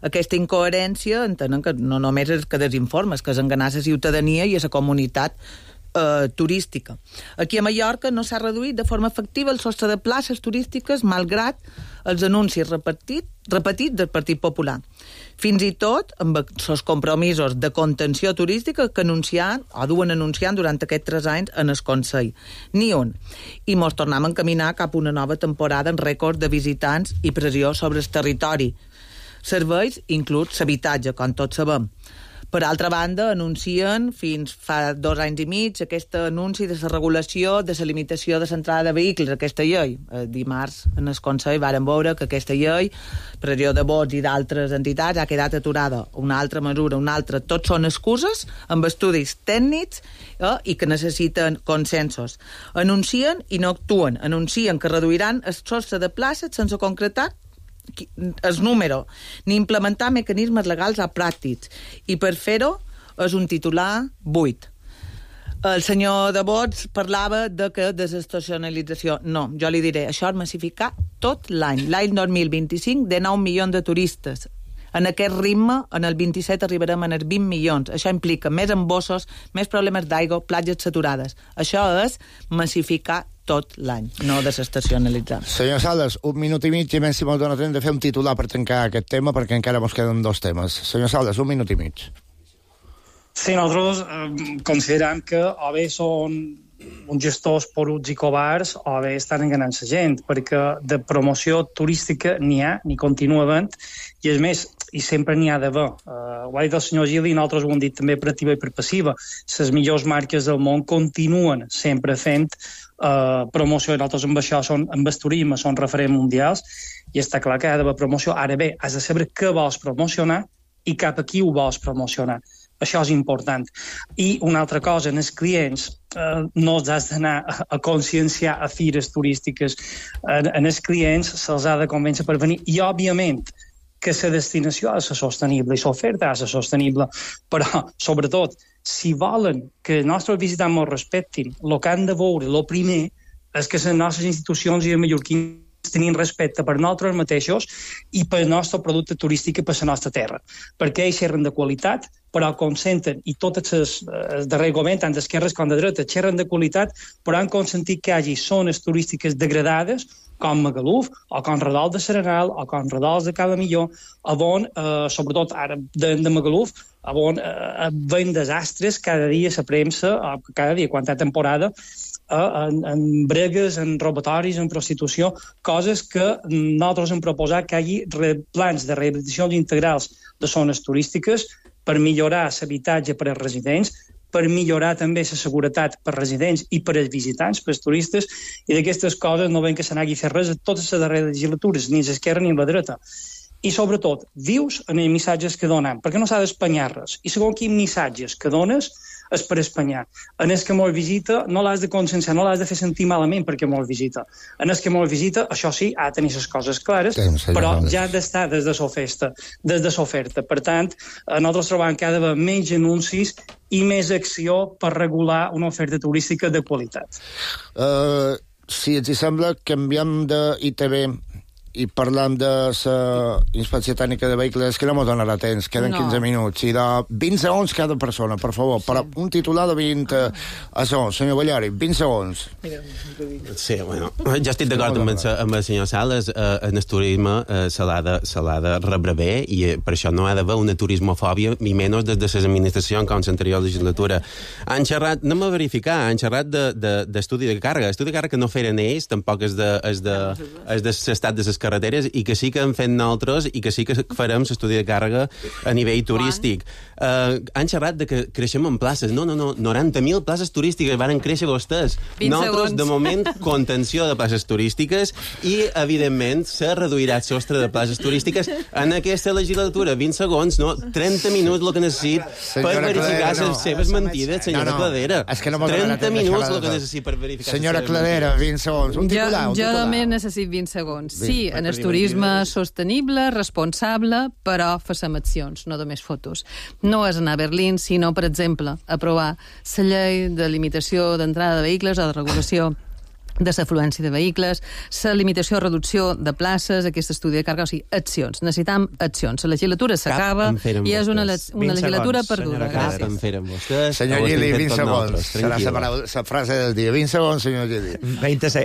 Aquesta incoherència entenen que no només és que desinformes, que és enganar la ciutadania i a la comunitat turística. Aquí a Mallorca no s'ha reduït de forma efectiva el sostre de places turístiques malgrat els anuncis repetits del Partit Popular. Fins i tot amb els compromisos de contenció turística que duen anunciant durant aquests 3 anys en el Consell. Ni un. I mos tornem a encaminar cap a una nova temporada en rècord de visitants i pressió sobre el territori. Serveis inclús l'habitatge, com tots sabem. Per altra banda, anuncien fins fa 2 anys i mig aquest anunci de la regulació de la limitació de l'entrada de vehicles, aquesta llei. Dimarts en el Consell vàrem veure que aquesta llei, pressió de vots i d'altres entitats, ha quedat aturada. Una altra mesura, una altra. Tots són excuses amb estudis tècnics i que necessiten consensos. Anuncien i no actuen. Anuncien que reduiran el sostre de places sense concretar el número, ni implementar mecanismes legals o pràctics. I per fer-ho és un titular buit. El senyor de Bots parlava de que desestacionalització. No, jo li diré, això és massificar tot l'any. L'any 2025, de 9 milions de turistes. En aquest ritme, en el 27 arribarem a els 20 milions. Això implica més embossos, més problemes d'aigua, platges saturades. Això és massificar tot l'any, no desestacionalitzar.
Senyor Sales, 1 minut i mig, i menys si m'ho dona temps de fer un titular per tancar aquest tema, perquè encara ens queden 2 temes. Senyor Sales, 1 minut i mig.
Sí, nosaltres considerem que o bé són uns gestors poruts i covards o bé estan enganant la gent, perquè de promoció turística n'hi ha, n'hi continua havent, i és més, i sempre n'hi ha d'haver. Ho ha dit el senyor Gili i nosaltres ho hem dit també per activa i per passiva. Les millors marques del món continuen sempre fent promoció, i nosaltres amb això amb el turisme són referents mundials, i està clar que ha d'haver promoció. Ara bé, has de saber què vols promocionar i cap a qui ho vols promocionar. Això és important. I una altra cosa, en els clients no els has d'anar a conscienciar a fires turístiques. En els clients se'ls ha de convèncer per venir. I, òbviament, que la destinació ha de ser sostenible i l'oferta ha de ser sostenible. Però, sobretot, si volen que els nostres visitants ens respectin, el que han de veure, el primer, és que les nostres institucions i els mallorquins tenint respecte per nosaltres mateixos i per el nostre producte turístic i per la nostra terra. Perquè ells xerren de qualitat, però consenten, i totes les darrer govern, tant d'esquerres com de dreta, xerren de qualitat, però han consentit que hi hagi zones turístiques degradades, com Magaluf, o com Redol de Serenal, o com Redols de Cala Millor, on, sobretot ara de Magaluf, on ven desastres cada dia a la premsa, cada dia, quan hi ha temporada, en bregues, en robatoris, en prostitució, coses que nosaltres hem proposat que hi hagi plans de rehabilitacions integrals de zones turístiques per millorar l'habitatge per als residents, per millorar també la seguretat per als residents i per als visitants, per als turistes, i d'aquestes coses no ven que se n'hagi fet res a totes les darreres legislatures, ni a l'esquerra ni a la dreta. I, sobretot, vius en els missatges que donem, perquè no s'ha d'espanyar res. I segons quins missatges que dones és per espanyar. En el que molt visita no l'has de conscienciar, no l'has de fer sentir malament perquè molt visita. En el que molt visita, això sí, ha de tenir les coses clares, però ja ha d'estar des de l'oferta. Per tant, nosaltres trobem que ha d'haver menys anuncis i més acció per regular una oferta turística de qualitat.
Si ens sembla, canviem d'ITV i parlant de la inspecció tècnica de vehicles, que no m'ho donarà temps, queden 15 minuts, i de 20 segons cada persona, per favor, però un titular de 20 segons, senyor Ballari, 20 segons.
Sí, bueno, jo estic d'acord amb el senyor Sales, en el turisme se l'ha de rebre bé, i per això no ha d'haver una turismofòbia, ni menys des de les administracions com l'anterior legislatura. Han xerrat, anem a verificar, han xerrat d'estudi de càrrega. Estudi de càrrega que no feren ells, tampoc és de l'estat de les carreteres, i que sí que hem fet nosaltres i que sí que farem l'estudi de càrrega a nivell turístic. Han xerrat de que creixem en places. No, 90.000 places turístiques varen créixer vostès. Nosaltres, de moment, contenció de places turístiques i, evidentment, se reduirà el sostre de places turístiques en aquesta legislatura. 20 segons, no? 30 minuts el que necessit per verificar les seves mentides, senyora Cladera. 30 minuts el que necessit per verificar.
Senyora Cladera, 20 segons. Un titular.
Jo també necessit 20 segons. Sí, en el turisme sostenible, responsable, però fem accions, no només fotos. No és anar a Berlín, sinó, per exemple, aprovar la llei de limitació d'entrada de vehicles o de regulació de l'afluència de vehicles, la limitació o reducció de places, aquest estudi de càrrega, o sigui, accions. Necessitam accions. La legislatura s'acaba i és una legislatura perduda.
Cap en feren vostès.
Senyor Gili, 20 segons. Serà la frase del día. 20 segundos, señor Gili.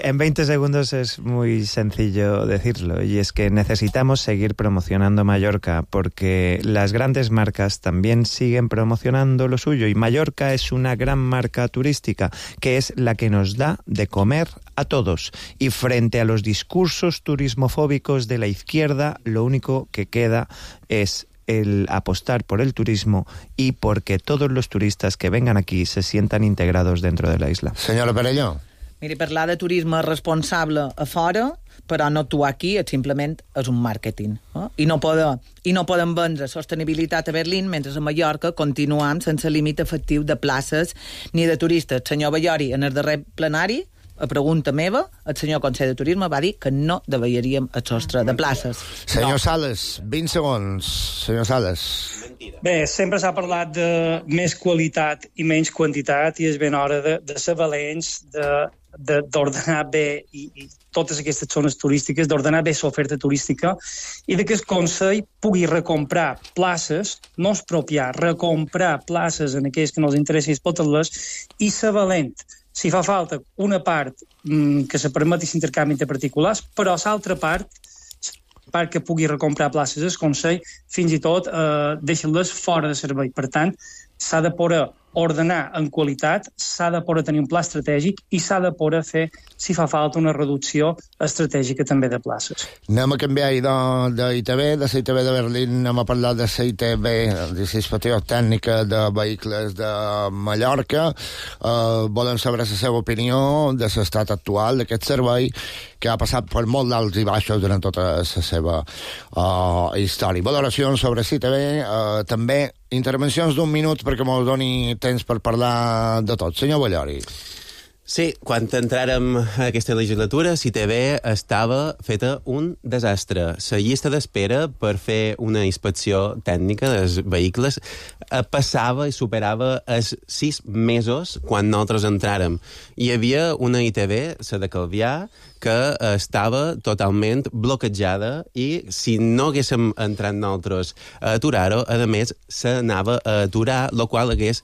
En 20 segundos es muy sencillo decirlo, y es que necesitamos seguir promocionando Mallorca, porque las grandes marcas también siguen promocionando lo suyo, y Mallorca es una gran marca turística, que es la que nos da de comer a todos, y frente a los discursos turismofóbicos de la izquierda, lo único que queda es el apostar por el turismo y porque todos los turistas que vengan aquí se sientan integrados dentro de la isla.
Senyora Perelló.
Miri, parlar de turisme responsable a fora, però no actuar aquí, simplement és un màrqueting. I no poden vendre sostenibilitat a Berlín mentre a Mallorca continuem sense límit efectiu de places ni de turistes. Senyor Ballori, en el darrer plenari, a pregunta meva, el senyor Consell de Turisme va dir que no devellaríem el sostre de places.
Senyor Sales, 20 segons. Senyor Sales.
Bé, sempre s'ha parlat de més qualitat i menys quantitat i és ben hora de ser valents, d'ordenar bé i totes aquestes zones turístiques, d'ordenar bé l'oferta turística i que el Consell pugui recomprar places, no expropiar, recomprar places en aquells que no els interessi explotar-les i ser valent. Si fa falta una part que se permeti l'intercanvi entre particulars, però l'altra part que pugui recomprar places al Consell, fins i tot deixar-les fora de servei. Per tant, s'ha de poder ordenar en qualitat, s'ha de poder tenir un pla estratègic i s'ha de poder fer, si fa falta, una reducció estratègica també de places.
Anem a canviar d'ITV, de la ITV de Berlín, anem a parlar de la ITV, de la Inspecció Tècnica de Vehicles de Mallorca. Volem saber la seva opinió de l'estat actual d'aquest servei, que ha passat per molt d'alts i baixos durant tota la seva història. Valoracions sobre ITV, també intervencions d'un minut perquè mos doni temps per parlar de tot. Senyor Ballori.
Sí, quan entràrem a aquesta legislatura, ITV estava feta un desastre. La llista d'espera per fer una inspecció tècnica dels vehicles passava i superava els 6 mesos quan nosaltres entràrem. Hi havia una ITV, la de Calvià, que estava totalment bloquejada i si no haguéssim entrat nosaltres a aturar-ho, a més, s'anava a aturar, el qual hagués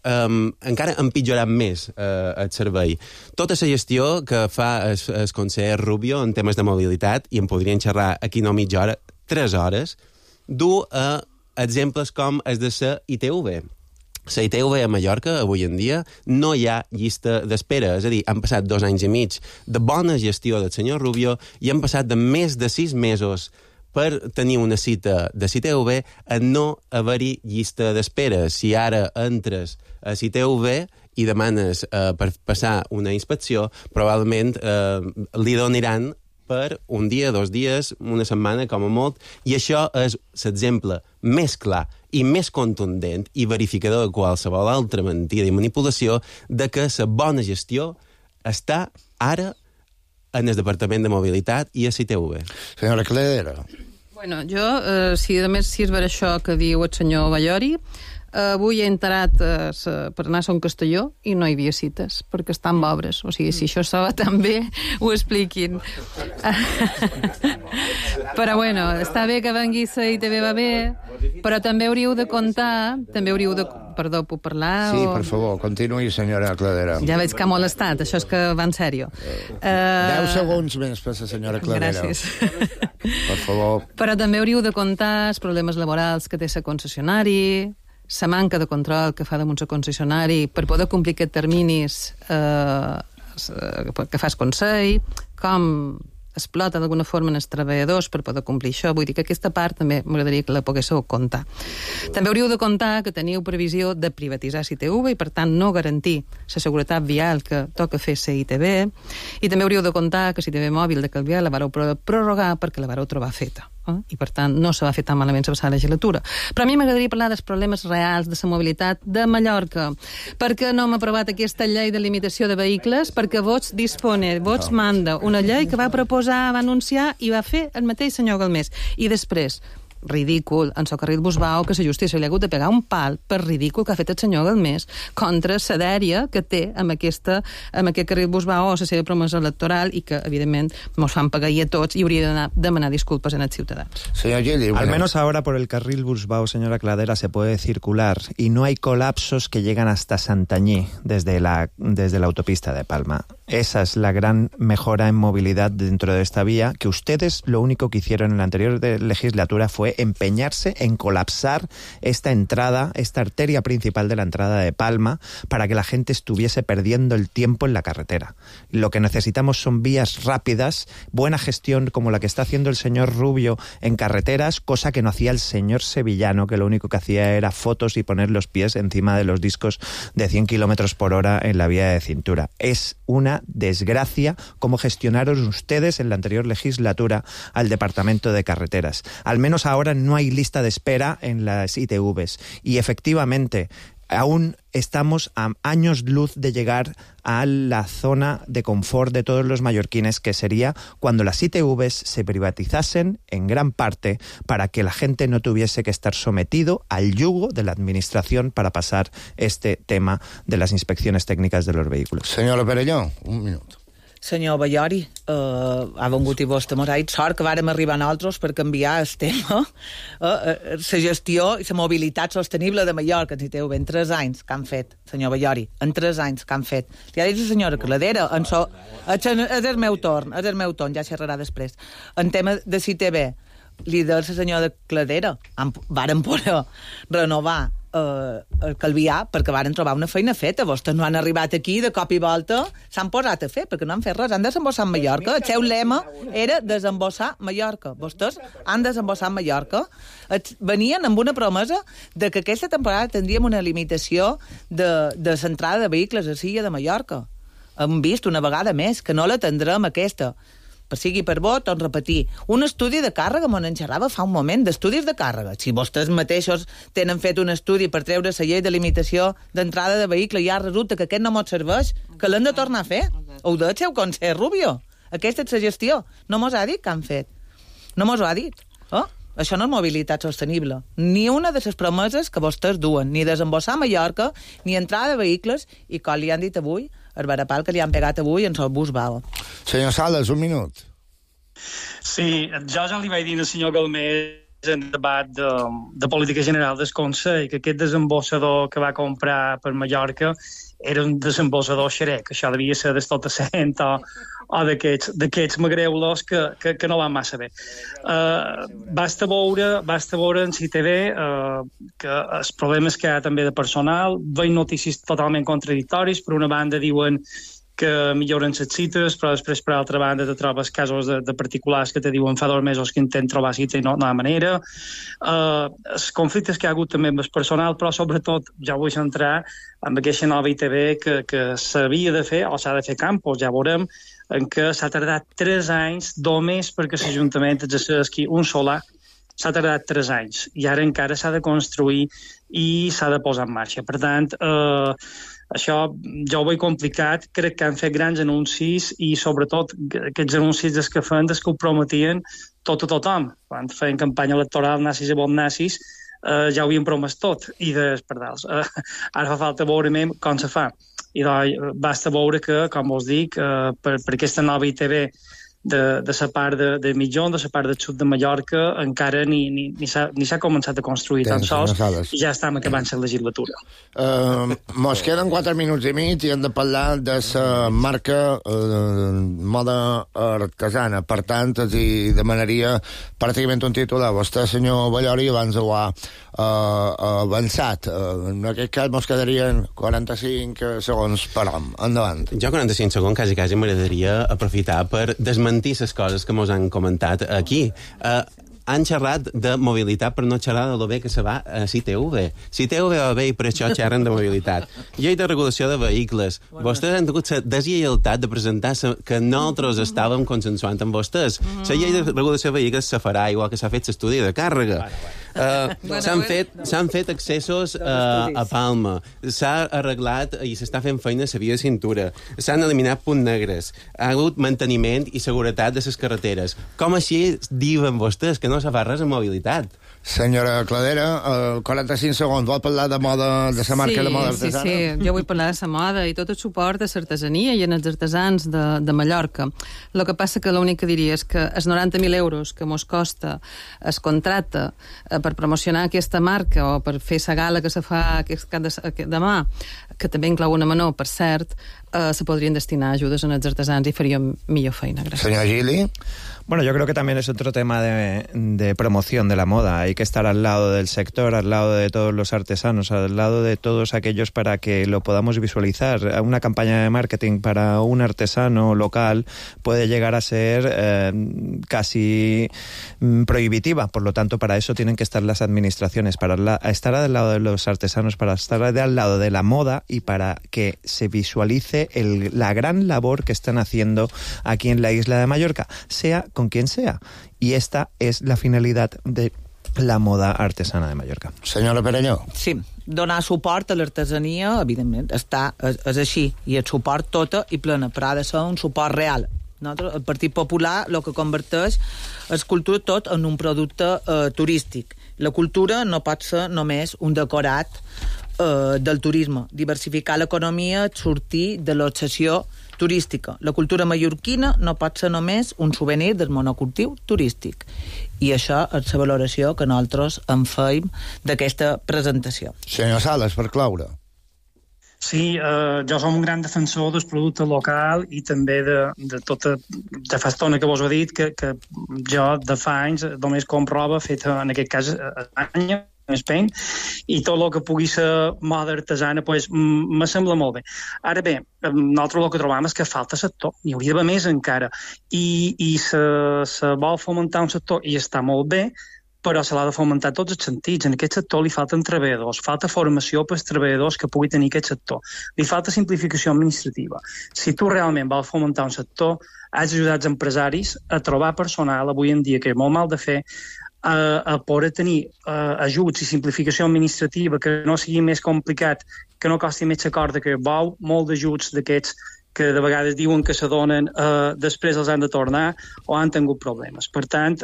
encara empitjorat més el servei. Tota la gestió que fa el conseller Rubio en temes de mobilitat, i en podrien xerrar aquí no mitja hora, 3 hores, du a exemples com els de la ITV. La ITV a Mallorca, avui en dia, no hi ha llista d'espera. És a dir, han passat 2 anys i mig de bona gestió del senyor Rubio i han passat de més de 6 mesos per tenir una cita de CITV a no haver-hi llista d'espera. Si ara entres a CITV i demanes per passar una inspecció, probablement li donaran per un dia, 2 dies, una setmana, com a molt, i això és l'exemple més clar i més contundent i verificador de qualsevol altra mentida i manipulació de que la bona gestió està ara en el Departament de Mobilitat i a CITV.
Senyora Cledera.
Bueno, jo, si a més si és per això que diu el senyor Ballori, avui he entrat per anar a Sant Castelló i no hi havia cites, perquè estan obres. O sigui, si això estava tan bé, ho expliquin. Però bueno, està bé que vengui la ITV, va bé, però també hauríeu de comptar, Perdó, puc parlar?
Sí, per favor, continuï, senyora Cladera.
Ja veig que ha molestat, això és que va en sèrio.
10 segons més per la senyora Cladera.
Gràcies.
Per favor.
Però també hauríeu de comptar els problemes laborals que té la concessionari, la manca de control que fa damunt el concessionari per poder complir aquests terminis que fa el Consell, com explota d'alguna forma els treballadors per poder complir això. Vull dir que aquesta part també m'agradaria que la poguéssiu comptar. També hauríeu de comptar que teniu previsió de privatitzar CITV i, per tant, no garantir la seguretat vial que toca fer la ITV. I també hauríeu de comptar que CITV Mòbil de Calvià la vareu prorrogar perquè la vareu trobar feta. I, per tant, no se va fer tan malament la passada legislatura. Però a mi m'agradaria parlar dels problemes reals de la mobilitat de Mallorca. Per què no hem aprovat aquesta llei de limitació de vehicles? Perquè Vox manda una llei que va proposar, va anunciar i va fer el mateix senyor Galmés. I després, ridícul, en el carril Busbau, que la justícia li ha hagut de pegar un pal per ridícul que ha fet el senyor Galmés contra la dèria que té amb aquest carril Busbau o la seva promesa electoral i que, evidentment, mos fan pagar a tots i hauria d'anar a demanar disculpes en els ciutadans.
Al menos ahora por el carril Busbau, señora Cladera, se puede circular y no hay colapsos que llegan hasta Santañí desde la autopista de Palma. Esa es la gran mejora en movilidad dentro de esta vía, que ustedes lo único que hicieron en la anterior legislatura fue empeñarse en colapsar esta entrada, esta arteria principal de la entrada de Palma, para que la gente estuviese perdiendo el tiempo en la carretera. Lo que necesitamos son vías rápidas, buena gestión como la que está haciendo el señor Rubio en carreteras, cosa que no hacía el señor Sevillano, que lo único que hacía era fotos y poner los pies encima de los discos de 100 kilómetros por hora en la vía de cintura. Es una desgracia cómo gestionaron ustedes en la anterior legislatura al Departamento de Carreteras. Al menos ahora no hay lista de espera en las ITVs. Y efectivamente, aún estamos a años luz de llegar a la zona de confort de todos los mallorquines, que sería cuando las ITVs se privatizasen en gran parte para que la gente no tuviese que estar sometido al yugo de la administración para pasar este tema de las inspecciones técnicas de los vehículos.
Senyora Perelló, un minut.
Senyor Ballori, ha vengut i vostè mos ha dit sort que vàrem arribar nosaltres per canviar el tema, la gestió i la mobilitat sostenible de Mallorca. En ITV, en 3 anys que han fet, senyor Ballori, en 3 anys que han fet. Li ha dit la senyora Cladera, és el meu torn, ja xerrarà després. En tema de CITV, li de la senyora Cladera, vàrem poder renovar el Calvià perquè varen trobar una feina feta. Vostès no han arribat aquí de cop i volta, s'han posat a fer perquè no han fet res, han desembossat Mallorca. El seu lema era desembossar Mallorca. Vostès han desembossat Mallorca. Venien amb una promesa de que aquesta temporada tindríem una limitació de l'entrada de vehicles a Silla de Mallorca. Hem vist una vegada més que no la tindrem aquesta. Per sigui per bo, tot repetir. Un estudi de càrrega, m'on en xerrava fa un moment, d'estudis de càrrega. Si vostès mateixos tenen fet un estudi per treure la llei de limitació d'entrada de vehicle i ja resulta que aquest no mos serveix, que l'hem de tornar a fer. Ho del seu Consell Rubio. Aquesta és la gestió. No mos ha dit que han fet. No mos ho ha dit. Això no és mobilitat sostenible. Ni una de les promeses que vostès duen, ni desembossar Mallorca, ni entrada de vehicles, i com li han dit avui, el varapal que li han pegat avui en el bus Bau.
Senyor Sales, un minut.
Sí, jo ja li vaig dir al senyor Galmés en el debat de política general del Consell que aquest desembossador que va comprar per Mallorca era un desembossador xerec, això devia ser del tot cent o d'aquests magreulos que no van massa bé. Basta veure en CITV que els problemes que hi ha també de personal, veig notícies totalment contradictoris. Per una banda diuen que milloren les cites, però després per altra banda te trobes casos de particulars que te diuen fa 2 mesos que intenten trobar cita i no hi ha manera. Els conflictes que hi ha hagut també amb el personal, però sobretot ja vull centrar en aquesta nova ITV que s'havia de fer o s'ha de fer campus, ja veurem, en què s'ha tardat 3 anys només perquè l'Ajuntament exerceixi un solar. S'ha tardat 3 anys i ara encara s'ha de construir i s'ha de posar en marxa. Per tant, això ja ho veig complicat. Crec que han fet grans anuncis i sobretot aquests anuncis des que feien, des que ho prometien tot a tothom. Quan feien campanya electoral, nazis i bon nazis, ja ho havien promès tot i desperdals. Ara fa falta veure com se fa. I doncs basta veure que, com us dic, per aquesta nova ITV de la part de Mitjón, de la part del sud de Mallorca, encara ni s'ha començat a construir tan sols i ja estem acabant la legislatura.
Mos queden 4 minuts i mig i hem de parlar de la marca moda artesana. Per tant, els demanaria pràcticament un titular. Vostè, senyor Ballori, abans ho ha avançat. En aquest cas mos quedarien 45 segons per hom. Endavant.
Jo 45 segons quasi m'agradaria aprofitar per desmentir les coses que mos han comentat aquí. Han xerrat de mobilitat per no xerrar de lo bé que se va a CITV. CITV va bé i per això xerren de mobilitat. Llei de regulació de vehicles. Vostès han tingut la deslleialtat de presentar que nosaltres estàvem consensuant amb vostès. La llei de regulació de vehicles se farà igual que s'ha fet l'estudi de càrrega. S'han fet accessos a Palma, s'ha arreglat i s'està fent feina a la via de cintura, s'han eliminat punts negres, ha hagut manteniment i seguretat de les carreteres. Com així diuen vostès que no se fa res en mobilitat?
Senyora Cladera, 45 segons, vol parlar de moda, de la marca de moda artesana?
Sí, jo vull parlar de la moda i tot el suport a l'artesania i en els artesans de Mallorca. El que passa que l'únic que diria és que els 90.000 euros que mos costa es contracte per promocionar aquesta marca o per fer la gala que se fa demà, que també inclou una menor, per cert, se podrien destinar a ajudes en els artesans y farían millor feina. Gracias.
Señor Gili.
Bueno, yo creo que también es otro tema de promoción de la moda. Hay que estar al lado del sector, al lado de todos los artesanos, al lado de todos aquellos para que lo podamos visualizar. Una campaña de marketing para un artesano local puede llegar a ser casi prohibitiva. Por lo tanto, para eso tienen que estar las administraciones, para estar al lado de los artesanos, para estar al lado de la moda y para que se visualice la gran labor que están haciendo aquí en la isla de Mallorca, sea con quien sea. Y esta es la finalidad de la moda artesana de Mallorca.
Senyora Perelló.
Sí, donar suport a l'artesania, evidentment, és així, i el suport tota i plena, però ha de ser un suport real. Nosaltres, el Partit Popular el que converteix és cultura tot en un producte turístic. La cultura no pot ser només un decorat del turisme. Diversificar l'economia, sortir de l'obsessió turística. La cultura mallorquina no pot ser només un souvenir del monocultiu turístic. I això és la valoració que nosaltres en feim d'aquesta presentació.
Senyor Sales, per cloure.
Sí, jo som un gran defensor del producte local i també de tota... Ja fa estona que vos ho he dit, que jo de fa anys només compro roba feta, en aquest cas, a Espanya, a Spain, i tot el que pugui ser moda artesana pues, me sembla molt bé. Ara bé, nosaltres el que trobam és que falta sector, n'hi hauria d'haver més encara, i se vol fomentar un sector i està molt bé, però se l'ha de fomentar tots els sentits. En aquest sector li falten treballadors, falta formació per als treballadors que pugui tenir aquest sector. Li falta simplificació administrativa. Si tu realment vols fomentar un sector, has d'ajudar els empresaris a trobar personal avui en dia, que és molt mal de fer, a poder tenir ajuts i simplificació administrativa que no sigui més complicat, que no costi més la corda, que vol molt d'ajuts d'aquests que de vegades diuen que se donen, després els han de tornar o han tingut problemes. Per tant,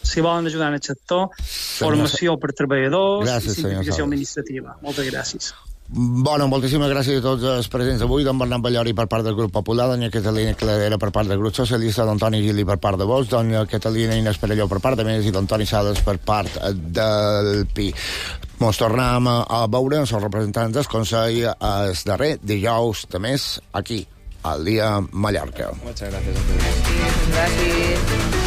si volen ajudar en el sector, formació per treballadors i simplificació administrativa. Moltes gràcies.
Bueno, moltíssimes gràcies a tots els presents avui, don Bernat Ballori per part del grup popular, doña Catalina Cladera per part del grup socialista, don Toni Gili per part de Vox, doña Catalina Inés Perelló per part de Més i don Toni Sales per part del PI. Ens tornem a veure els representants del Consell el darrer dijous de mes aquí, al Dia Mallorca.
Muchas gracias a todos.
Gràcies.